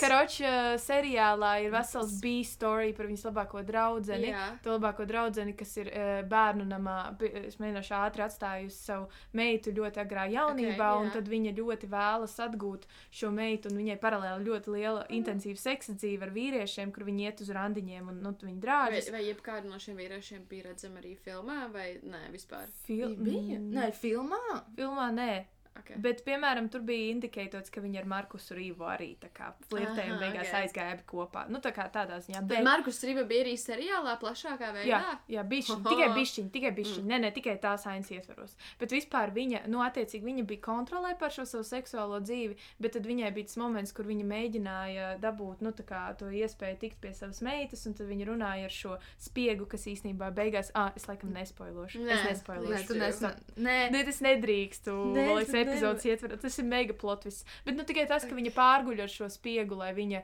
Karoč seriālā ir vesels B-story par viņas labāko draudzeni. Jā. To labāko draudzeni, kas ir bērnu namā, es mēģināšu ātri atstājusi savu meitu ļoti agrā jaunībā, un tad viņa ļoti vēlas atgūt šo meitu, un viņai paralēli ļoti liela intensīva seksa dzīve ar vīriešiem, kur viņi iet uz randiņiem, un viņi drāžas. Vai jebkādu no šiem vīriešiem bija redzama arī filmā, vai nē, vispār? Bija? Nē, filmā? Filmā nē. Okay. Bet, piemēram, tur bija indikētots, ka viņi ar Markusu Rīvu arī tā kā flirtēja un beigās aizgāja abi kopā. Tā kā tādā ziņā. Bet Markus Rīva bija arī seriālā plašākā veidā? Jā, tikai bišķiņ. Nē, tikai tās ainas ietvaros. Bet vispār viņa, attiecīgi, viņa bija kontrolē par šo savu seksuālo dzīvi, bet tad viņai bija tas moments, kur viņa mēģināja dabūt, tā kā to iespēju tikt pie savas meitas, un tad viņa runāja ar šo spiegu, kas īstenībā beigās, es laikam nespoilošu. Es nedrīkstu. Epizodes ietver, tas ir mega plotvis. Bet tikai tas, ka viņa pārguļ ar šo spiegu, lai viņa,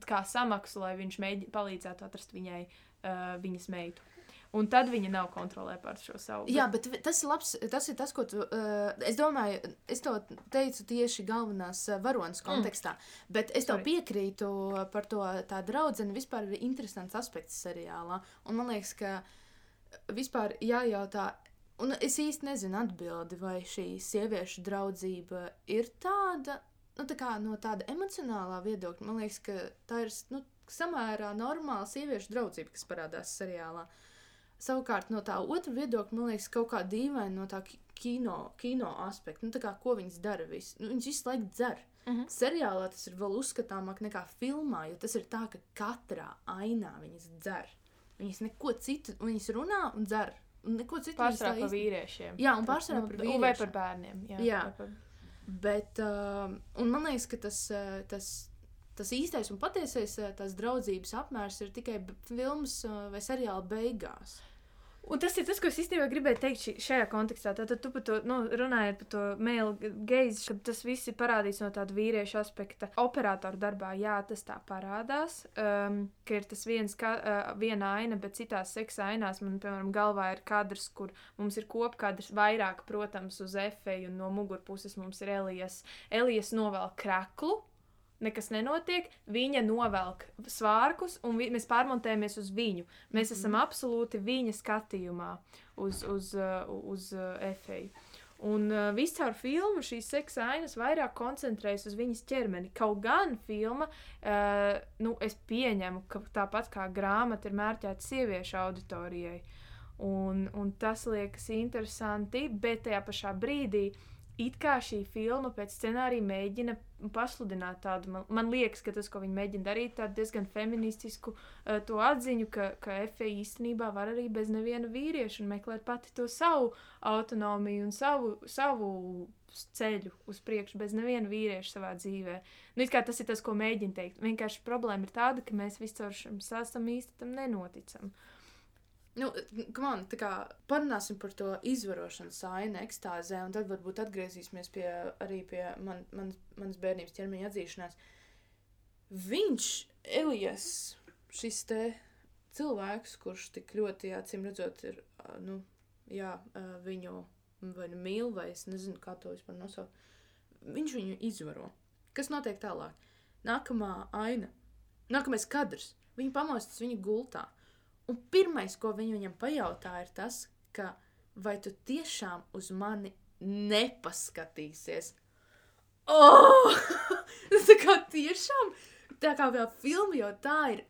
kā samaksu, lai viņš palīdzētu atrast viņai viņas meitu. Un tad viņa nav kontrolē pār šo savu. Jā, bet tas ir labs, tas ir tas, ko tu, es domāju, es to teicu tieši galvenās varonas kontekstā, bet es tev piekrītu par to tā draudzene vispār ir interesants aspekts seriālā, un man liekas, ka vispār jājautā, un es īsti nezinu atbildi, vai šī sieviešu draudzība ir tāda, nu tā kā no tāda emocionālā viedokļa, man liekas, ka tā ir, nu, samērā normāla sieviešu draudzība, kas parādās seriālā. Savukārt no tā otra viedokļa, man liekas, kaut kā dīvaini no tā kino aspekta. Nu, tā kā, ko viņas dara visu? Nu, viņas visu laiku dzer. Seriālā tas ir vēl uzskatāmāk nekā filmā, jo tas ir tā, ka katrā ainā viņas dzer. Viņas neko citu, viņas runā un dzer. Un neko citu pārsvarā par vīriešiem. Jā, un pārsvarā par vīriešiem. Vai par bērniem. Jā. Bet, un man liekas, ka tas īstais un patiesais tās draudzības apmērs ir tikai filmas vai seriāla beigās. Un tas ir tas, ko es īstenībā gribēju teikt šajā kontekstā. Tātad tu par to, runājot par to male gaze, ka tas viss ir parādīts no tāda vīriešu aspekta. Operatoru darbā, jā, tas tā parādās, ka ir tas viena aina, bet citās seksa ainās man, piemēram, galvā ir kadrs, kur mums ir kopkadrs vairāk, protams, uz efeju, un no mugurpuses mums ir Elijas novelk kreklu. Nekas nenotiek, viņa novelk svārkus, un mēs pārmontējamies uz viņu. Mēs esam absolūti viņa skatījumā uz efeju. Un viscaur filmu šīs seksa ainas vairāk koncentrējas uz viņas ķermeni. Kaut gan filma, es pieņemu, ka tāpat kā grāmata ir mērķēta sieviešu auditorijai. Un tas liekas interesanti, bet tajā pašā brīdī it kā šī filma pēc scenārija mēģina pasludināt tādu, man liekas, ka tas, ko viņi mēģina darīt, tādu diezgan feministisku to atziņu, ka Efe īstenībā var arī bez neviena vīrieša un meklēt pati to savu autonomiju un savu ceļu uz priekšu bez neviena vīrieša savā dzīvē. Nu, it kā tas ir tas, ko mēģina teikt. Vienkārši problēma ir tāda, ka mēs viscaur šim sāstam īsti tam nenoticam. Nu, tā kā parunāsim par to izvarošanas ainu ekstāzē, un tad varbūt atgriezīsimies arī pie manas bērnības ķermeņa atzīšanās. Viņš, Elijas, šis te cilvēks, kurš tik ļoti, acīm redzot, ir, viņu vai nu mīl, vai es nezinu, kā to vispār nosaukt, viņš viņu izvaro. Kas notiek tālāk? Nākamā aina, nākamais kadrs, viņu pamostas viņa gultā. Un pirmais, ko viņam pajautā, ir tas, ka vai tu tiešām uz mani nepaskatīsies? Tā kā tiešām, tā kā vēl filma jau tā ir,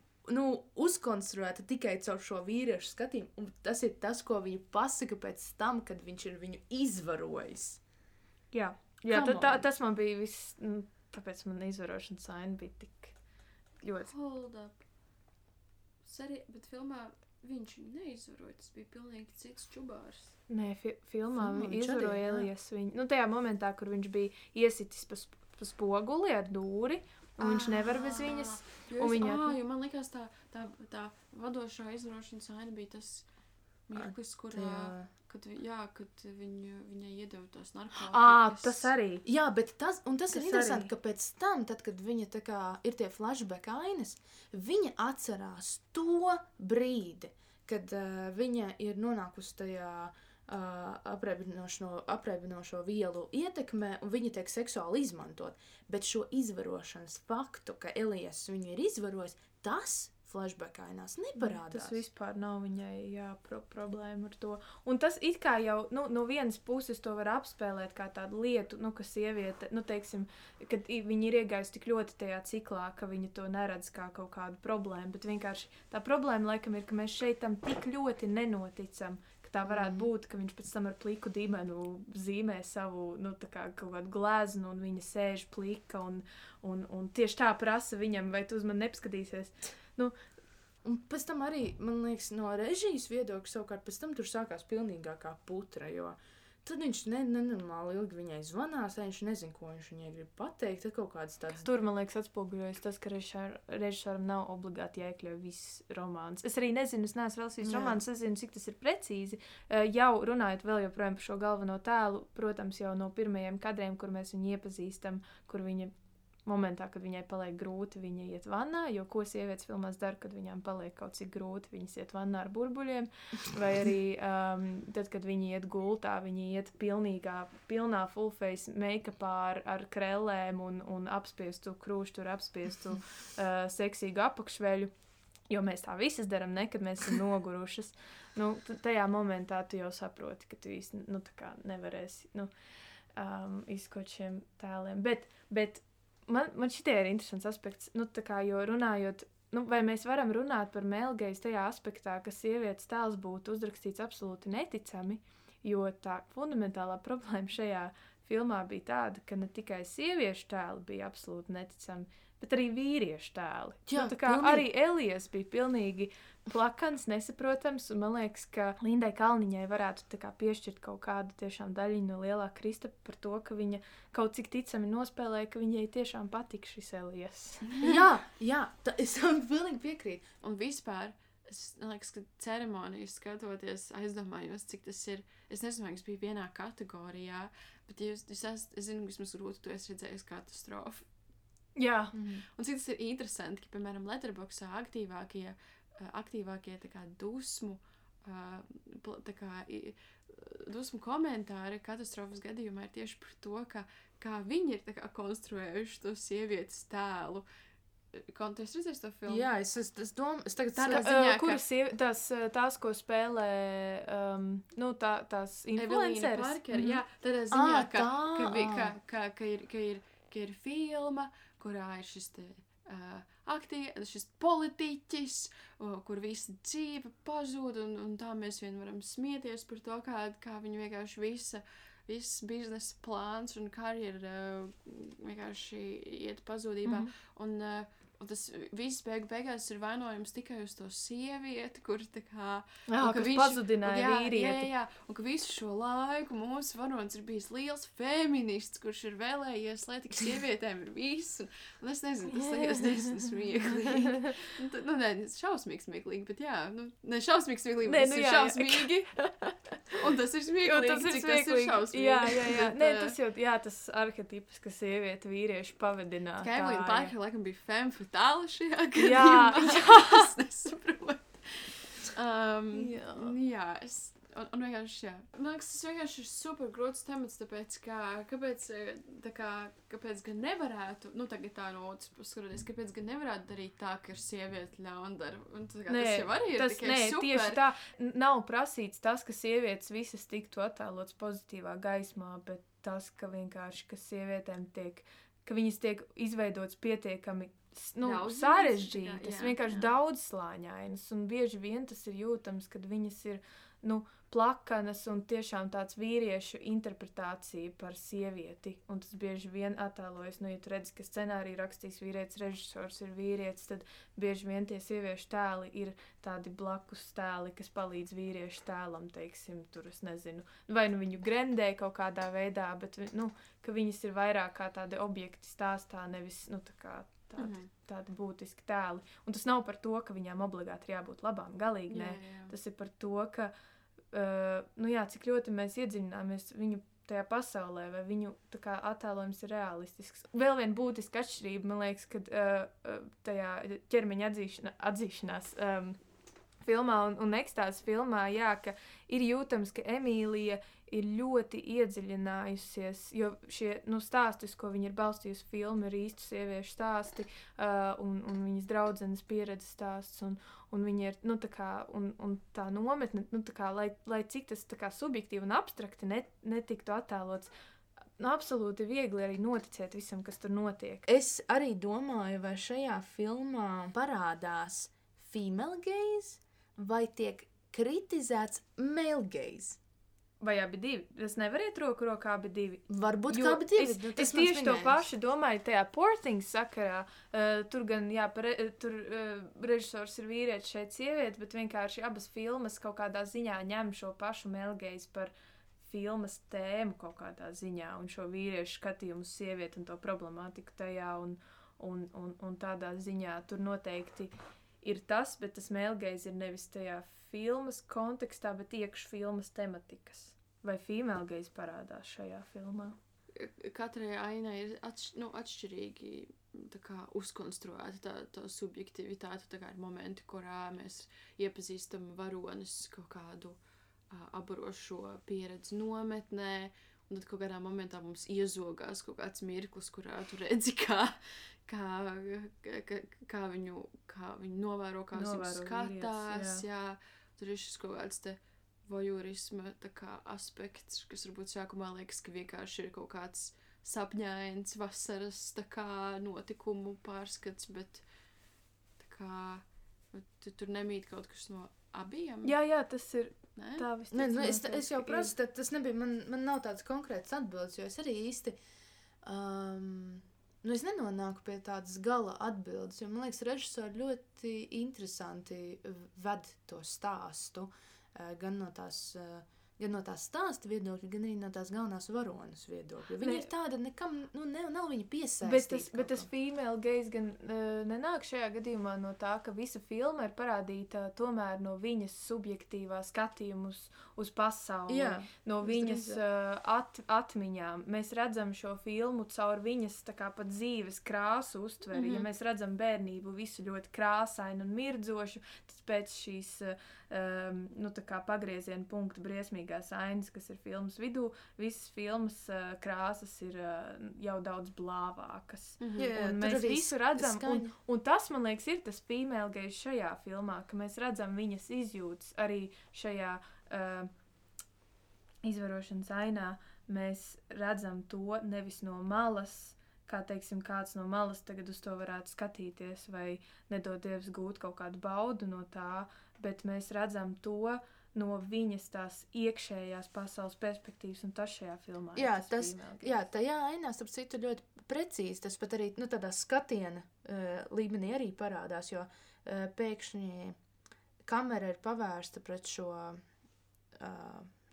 uzkonstruēta tikai caur šo vīriešu skatījumu, un tas ir tas, ko viņa pasaka pēc tam, kad viņš ir viņu izvarojis. Jā, tas man bija viss, tāpēc man izvarošanas aina bija tik ļoti. Hold up. Bet filmā viņš neizvaroja, tas bija pilnīgi cits čubārs. Nē, filmā izvaroja Elijas viņu. Tajā momentā, kur viņš bija iesitis pa spoguli ar dūri, un viņš nevar bez viņas. Jo man likās tā vadošā izvarošanas aina bija tas mirklis, kurā, kad viņai iedeva tos narkotikas. Tas arī. Jā, bet tas ir interesanti, ka pēc tam, tad, kad viņa tā kā ir tie flashback ainas, viņa atcerās to brīdi, kad viņa ir nonākusi tajā apreibinošo vielu ietekmē, un viņa tiek seksuāli izmantot. Bet šo izvarošanas faktu, ka Elijas viņu ir izvarojis, tas flashback ainās neparādās. Tas vispār nav viņai problēma ar to. Un tas it kā jau, no vienas puses to var apspēlēt kā tādu lietu, ka sieviete, teiksim, kad viņa ir iegājusi tik ļoti tajā ciklā, ka viņa to neredz kā kaut kādu problēmu, bet vienkārši tā problēma laikam ir, ka mēs šeit tam tik ļoti nenoticam, ka tā varētu būt, ka viņš pēc tam ar pliku dīmenu zīmē savu, tā kā kaut kādu gleznu, un viņa sēž plika, un tieši tā prasa viņam, vai tu uz mani nepaskatīsies. Un pēc tam arī, man liekas, no režijas viedokļa savukārt pēc tam tur sākās pilnīgākā putra, jo tad viņš nenormāli ilgi viņai zvanās, viņš nezin, ko viņš viņai grib pateikt, tad kaut kādas tādas... Tur, man liekas, atspoguļojas tas, ka režisoram nav obligāti jāiekļauj viss romāns. Es arī nezinu, es neesmu vēl viss romāns, es zinu, cik tas ir precīzi. Jau runājot vēl joprojām par šo galveno tēlu, protams, jau no pirmajiem kadriem, kur mēs viņu iepazīstam, kur viņa momentā, kad viņai paliek grūti, viņa iet vannā, jo ko sievietes filmās dara, kad viņām paliek kaut cik grūti, viņas iet vannā ar burbuļiem, vai arī tad, kad viņi iet gultā, viņi iet pilnā full face make-upā ar krellēm un apspiestu krūštu, apspiestu seksīgu apakšveļu, jo mēs tā visas daram, ne, kad mēs esam nogurušas. Nu, tajā momentā tu jau saproti, ka tu īsti, nu, tā kā nevarēsi, nu, izkot šiem tēliem. Bet man šitie ir interesants aspekts, nu, tā kā, jo runājot, nu, vai mēs varam runāt par mēlgeiz tajā aspektā, ka sievietes tēls būtu uzrakstīts absolūti neticami, jo tā fundamentālā problēma šajā filmā bija tāda, ka ne tikai sieviešu tēli bija absolūti neticami, bet arī vīriešu tēli. Jā, nu, tā kā pilnīgi. Arī Elijas bija pilnīgi plakans, nesaprotams, un man liekas, ka Lindai Kalniņai varētu tā kā piešķirt kaut kādu tiešām daļiņu no lielā Kristapa par to, ka viņa kaut cik ticami nospēlēja, ka viņai tiešām patika šis Elijas. Jā, es tam pilnīgi piekrītu. Un vispār, es liekas, ka ceremonijas skatoties, aizdomājos, cik tas ir, es nezinu, vai es biju vienā kategorijā, bet es zinu, vismaz grūti, tu esi redzējis katastrofu. Jā. Un cik tas ir interesanti, ka, piemēram, Letterboxdā aktīvākie tā kā dusmu komentāri katastrofas gadījumā ir tieši par to, kā viņi ir tā kā konstruējuši to sievietes tēlu. Tu esi redzējis to filmu? Jā, es domāju, es tagad tādā ziņā, kuras tās, ko spēlē, nu, tās influenceres. Parker, jā, tādā ziņā, ka ir filma, kurā ir šis šis politiķis, kur visa dzīve pazūd, un tā mēs vien varam smieties par to, kā viņi vienkārši viss biznesa plāns un karjera vienkārši iet pazūdībā. Un tas viss beigās ir vainojums tikai uz to sievieti, kur tā kā... kas pazudināja vīrieti. Jā, un ka visu šo laiku mūsu varonis ir bijis liels feminists, kurš ir vēlējies, lai tik sievietēm ir viss. Un es nezinu, tas liekas diezgan smieklīgi. Nu, nē, šausmīgi smieklīgi, bet jā, nu, ne šausmīgi smieklīgi, bet tas ir šausmīgi. Un tas ir smieklīgi, cik tas ir šausmīgi. Jā. Nē, tas jau, tas arhetips, ka sievieti vīrieši pavadināt. Evelīna Parker, laikam, bija femme fatale šajā gadījumā. Jā. Es nesaprotu. Jā, un vienkārši, jā. Man liekas, tas vienkārši ir super grūts temats, tāpēc, kāpēc gan nevarētu, nu, tagad tā no otras puses skatoties, kāpēc gan nevarētu darīt tā, ka ir sieviete ļaundara. Un tas jau arī ir tikai super. Tieši tā, nav prasīts tas, ka sievietes visas tiktu attēlots pozitīvā gaismā, bet tas, ka vienkārši, ka sievietēm ka viņas tiek izveidots pietiekami sarežģītas, vienkārši daudzslāņainas, un bieži vien tas ir jūtams, kad viņas ir, plakanas un tiešām tāds vīriešu interpretācija par sievieti, un tas bieži vien attēlojas, ja tu redzi, ka scenāriju rakstīs vīrietis, režisors ir vīrietis, tad bieži vien tie sieviešu tēli ir tādi blakus tēli, kas palīdz vīriešu tēlam, teiksim, tur es nezinu, vai viņu grendē kaut kādā veidā, bet, ka viņas ir vairāk kā tādi objekti stāstā, nevis, tādi būtiski tēli. Un tas nav par to, ka viņām obligāti ir jābūt labām, galīgi nē. Tas ir par to, ka, cik ļoti mēs iedziļināmies viņu tajā pasaulē, vai viņu tā kā attēlojums ir realistisks. Vēl viena būtiska atšķirība, man liekas, kad tajā ķermeņa atzīšanās filmā un ekstāzes filmā, ka ir jūtams, ka Emīlija ir ļoti iedziļinājusies, jo šie stāsti, uz ko viņa ir balstījusi filmu, ir īstu sieviešu stāsti un viņas draudzenes pieredzes stāsts, un viņa ir, un tā nometne, lai cik tas tā kā subjektīvi un abstrakti netiktu attēlots, absolūti viegli arī noticēt visam, kas tur notiek. Es arī domāju, vai šajā filmā parādās female gaze, vai tiek kritizēts male gaze. Vai abi divi? Tas nevar iet roku rokā abi divi. Varbūt kā abi divi. Es tieši to pašu domāju tajā Poor Things sakarā. Tur gan, tur režisors ir vīrietis, šeit sieviete, bet vienkārši abas filmas kaut kādā ziņā ņem šo pašu melgeiz par filmas tēmu kaut kādā ziņā un šo vīriešu skatījumu uz sievieti un to problemātiku tajā un tādā ziņā tur noteikti ir tas, bet tas melgeiz ir nevis tajā filmas kontekstā, bet iekš filmas tematikas. Vai female gaze parādās šajā filmā? katrai ainai ir atšķirīgi tā kā uzkonstruēta tā subjektivitāte, tā kā ir momenti, kurā mēs iepazīstam varonis kaut kādu aburošo pieredzi nometnē, un tad kaut kādā momentā mums iezogās kaut kāds mirklis, kurā tu redzi, kā viņu novēro, kā viņu skatās, jā. Tur ir šis kaut kāds te vojurisma tā kā aspekts, kas varbūt sākumā liekas, ka vienkārši ir kaut kāds sapņains vasaras tā kā notikumu pārskats, bet tā kā tur nemīt kaut kas no abiem. Jā, tas ir ne? Tā visticamāk. Es jau prasu, tas nebija, man nav tāds konkrēts atbildes, jo es arī īsti, es nenonāku pie tādas gala atbildes, jo man liekas, režisori ļoti interesanti ved to stāstu, gan no tās stāsta viedokļa, gan arī no tās galvenās varonas viedokļa. Viņa ir tāda, nekam, nav viņa piesaistīta. Bet tas female gaze gan nenāk šajā gadījumā no tā, ka visa filma ir parādīta tomēr no viņas subjektīvā skatījuma uz pasauli, no viņas atmiņām. Mēs redzam šo filmu caur viņas tā kā pat dzīves krāsu uztveri. Ja mēs redzam bērnību visu ļoti krāsainu un mirdzošu, tad pēc šīs tā kā pagrieziena punkta briesmīgās ainas, kas ir filmas vidū, visas filmas krāsas ir jau daudz blāvākas. Un mēs visu redzam, un tas, man liekas, ir tas female gaze šajā filmā, ka mēs redzam viņas izjūtas arī šajā izvarošanas ainā. Mēs redzam to nevis no malas, kā, teiksim, kāds no malas tagad uz to varētu skatīties vai nedod Dievs gūt kaut kādu baudu no tā, bet mēs redzam to no viņas tās iekšējās pasaules perspektīvas, un tas šajā filmā tajā ainā, starp citu, ļoti precīzi, tas pat arī, tādā skatiena līmenī arī parādās, jo pēkšņi kamera ir pavērsta pret šo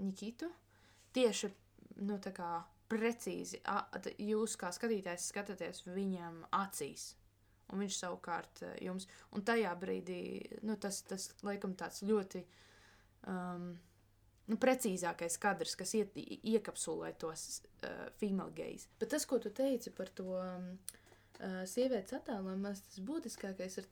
Nikitu, tieši, tā kā precīzi, jūs kā skatītājs skatāties viņam acīs, un viņš savukārt jums, un tajā brīdī, tas laikam tāds ļoti precīzākais kadrs, kas iekapsulē tos female gaze. Bet tas, ko tu teici par to sievietes attēlojumu, tas būtiskākais ir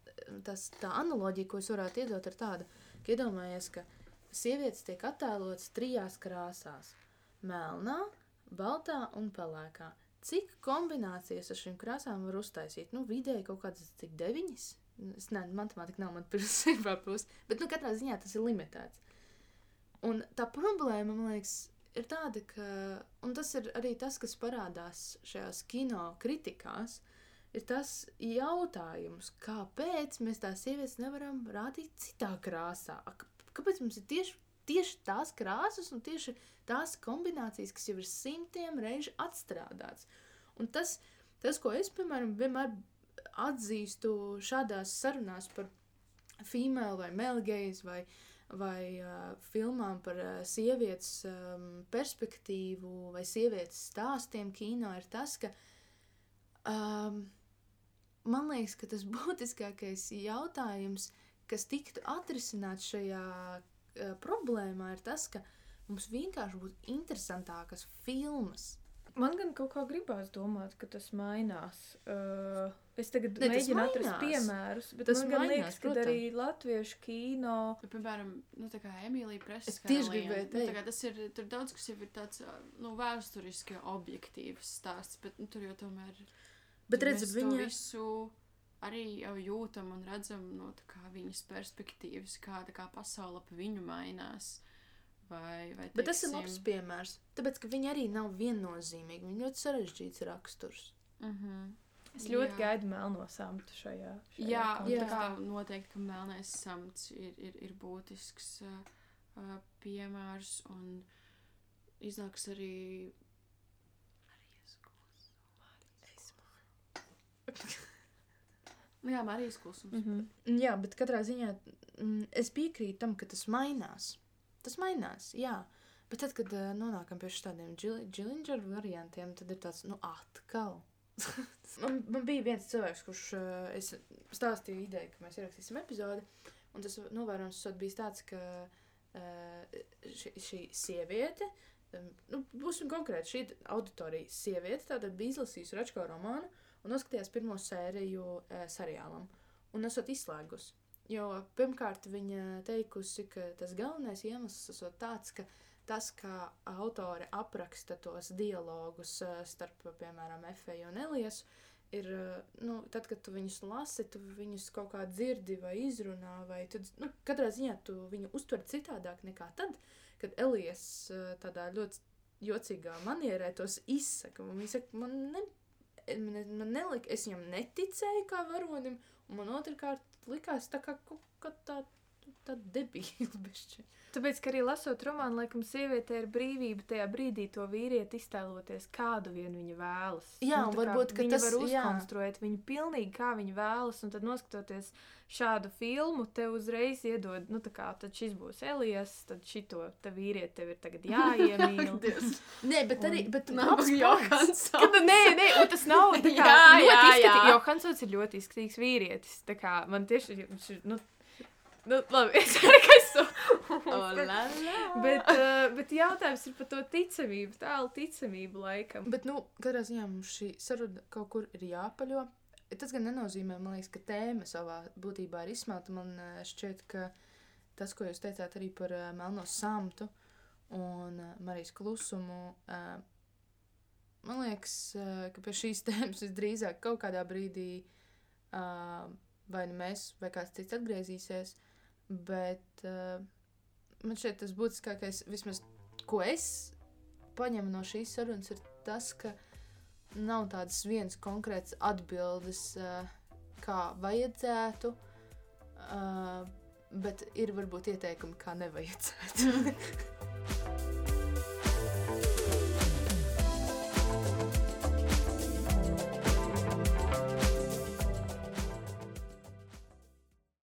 tā analoģija, ko es varētu iedot, ir tāda, ka iedomājies, ka sievietes tiek attēlotas 3 krāsās – melnā, baltā un pelēkā. Cik kombinācijas ar šīm krāsām var uztaisīt? Vidēji kaut kādas, cik 9? Matemātika nav man pirmsībā plus, bet katrā ziņā tas ir limitēts. Un tā problēma, man liekas, ir tāda, ka, un tas ir arī tas, kas parādās šajās kino kritikās, ir tas jautājums, kāpēc mēs tās sievietes nevaram rādīt citā krāsā? Kāpēc mums ir tieši tās krāsas un tieši tās kombinācijas, kas jau ir 100 reižu atstrādāts. Un tas, ko es, piemēram, vienmēr atzīstu šādās sarunās par female vai male gaze vai filmām par sievietes perspektīvu vai sievietes stāstiem kino, ir tas, ka man liekas, ka tas būtiskākais jautājums, kas tiktu atrisināts šajā problēmā, ir tas, ka mums vienkārši būtu interesantākas filmas. Man gan kaut kā gribās domāt, ka tas mainās. Es tagad mēģinu atrast piemērus, bet tas man gan liekas, ka arī latviešu kino... Piemēram, tā kā Emīlija Presskāliena. Tur daudz, kas jau ir tāds, vēsturiski objektīvs stāsts, bet tur jau tomēr... Bet redz, mēs to visu arī jau jūtam un redzam no tā kā viņas perspektīvas, kā pasaule pa viņu mainās. Vai bet tas ir labs piemērs, tāpēc, ka viņi arī nav viennozīmīgi, viņi ļoti sarežģīts raksturs. Es ļoti gaidu melno samtu šajā tā kā noteikti, ka melnais samts ir būtisks piemērs, un iznāks arī Marijas klusums. Jā, bet katrā ziņā es piekrītu tam, ka tas mainās. Tas mainās, jā. Bet tad, kad nonākam pie šādiem Dillinger variantiem, tad ir tāds, atkal. man bija viens cilvēks, kurš es stāstīju ideju, ka mēs ierakstīsim epizodi, un tas novērojums bijis tāds, ka šī sieviete būsim konkrēti, šī auditorija sieviete tātad bija izlasījusi Račko romānu un noskatījās pirmo sēriju seriālam un esot izslēgusi. Jo pirmkārt viņa teikusi, ka tas galvenais iemesls esot tāds, ka tas, kā autore apraksta tos dialogus starp, piemēram, Efeju un Eliesu, ir, tad, kad tu viņus lasi, tu viņus kaut kā dzirdi vai izrunā, vai tu, katrā ziņā tu viņu uztver citādāk nekā tad, kad Elies tādā ļoti jocīgā manierē tos izsaka. Un viņa saka, man nelika, es viņam neticēju kā varonim, un man otrkārt likās tā kā tā debīla bešķi. Tāpēc, ka arī lasot romānu, laikam sievietē ir brīvība tajā brīdī to vīrieti iztēloties, kādu vien viņa vēlas. Jā, un varbūt, ka tas... Viņa var uzkonstruēt viņu pilnīgi, kā viņa vēlas, un tad noskatoties šādu filmu, tev uzreiz iedod, tad šis būs Elies, tad šito te vīrieti tev ir tagad jāiemīl. Nē, bet arī, nav Johansons. Nē, un tas nav tā kā ļoti izskatīgs. Johansons ir ļoti izskatīgs vīrietis, tā kā man tieši, labi, es ceru, ka es bet jautājums ir par to ticamību, tālu ticamību laikam. Bet, katrā ziņā mums šī saruna kaut kur ir jāpaļo. Tas gan nenozīmē, man liekas, ka tēma savā būtībā ir izsmelta. Man šķiet, ka tas, ko jūs teicāt arī par Melno samtu un Marijas klusumu, man liekas, ka pie šīs tēmas visdrīzāk kaut kādā brīdī vai nu mēs, vai kāds cits atgriezīsies, bet man šeit tas būtiskākais, vismaz, ko es paņemu no šīs sarunas, ir tas, ka nav tādas vienas konkrētas atbildes, kā vajadzētu, bet ir varbūt ieteikumi, kā nevajadzētu.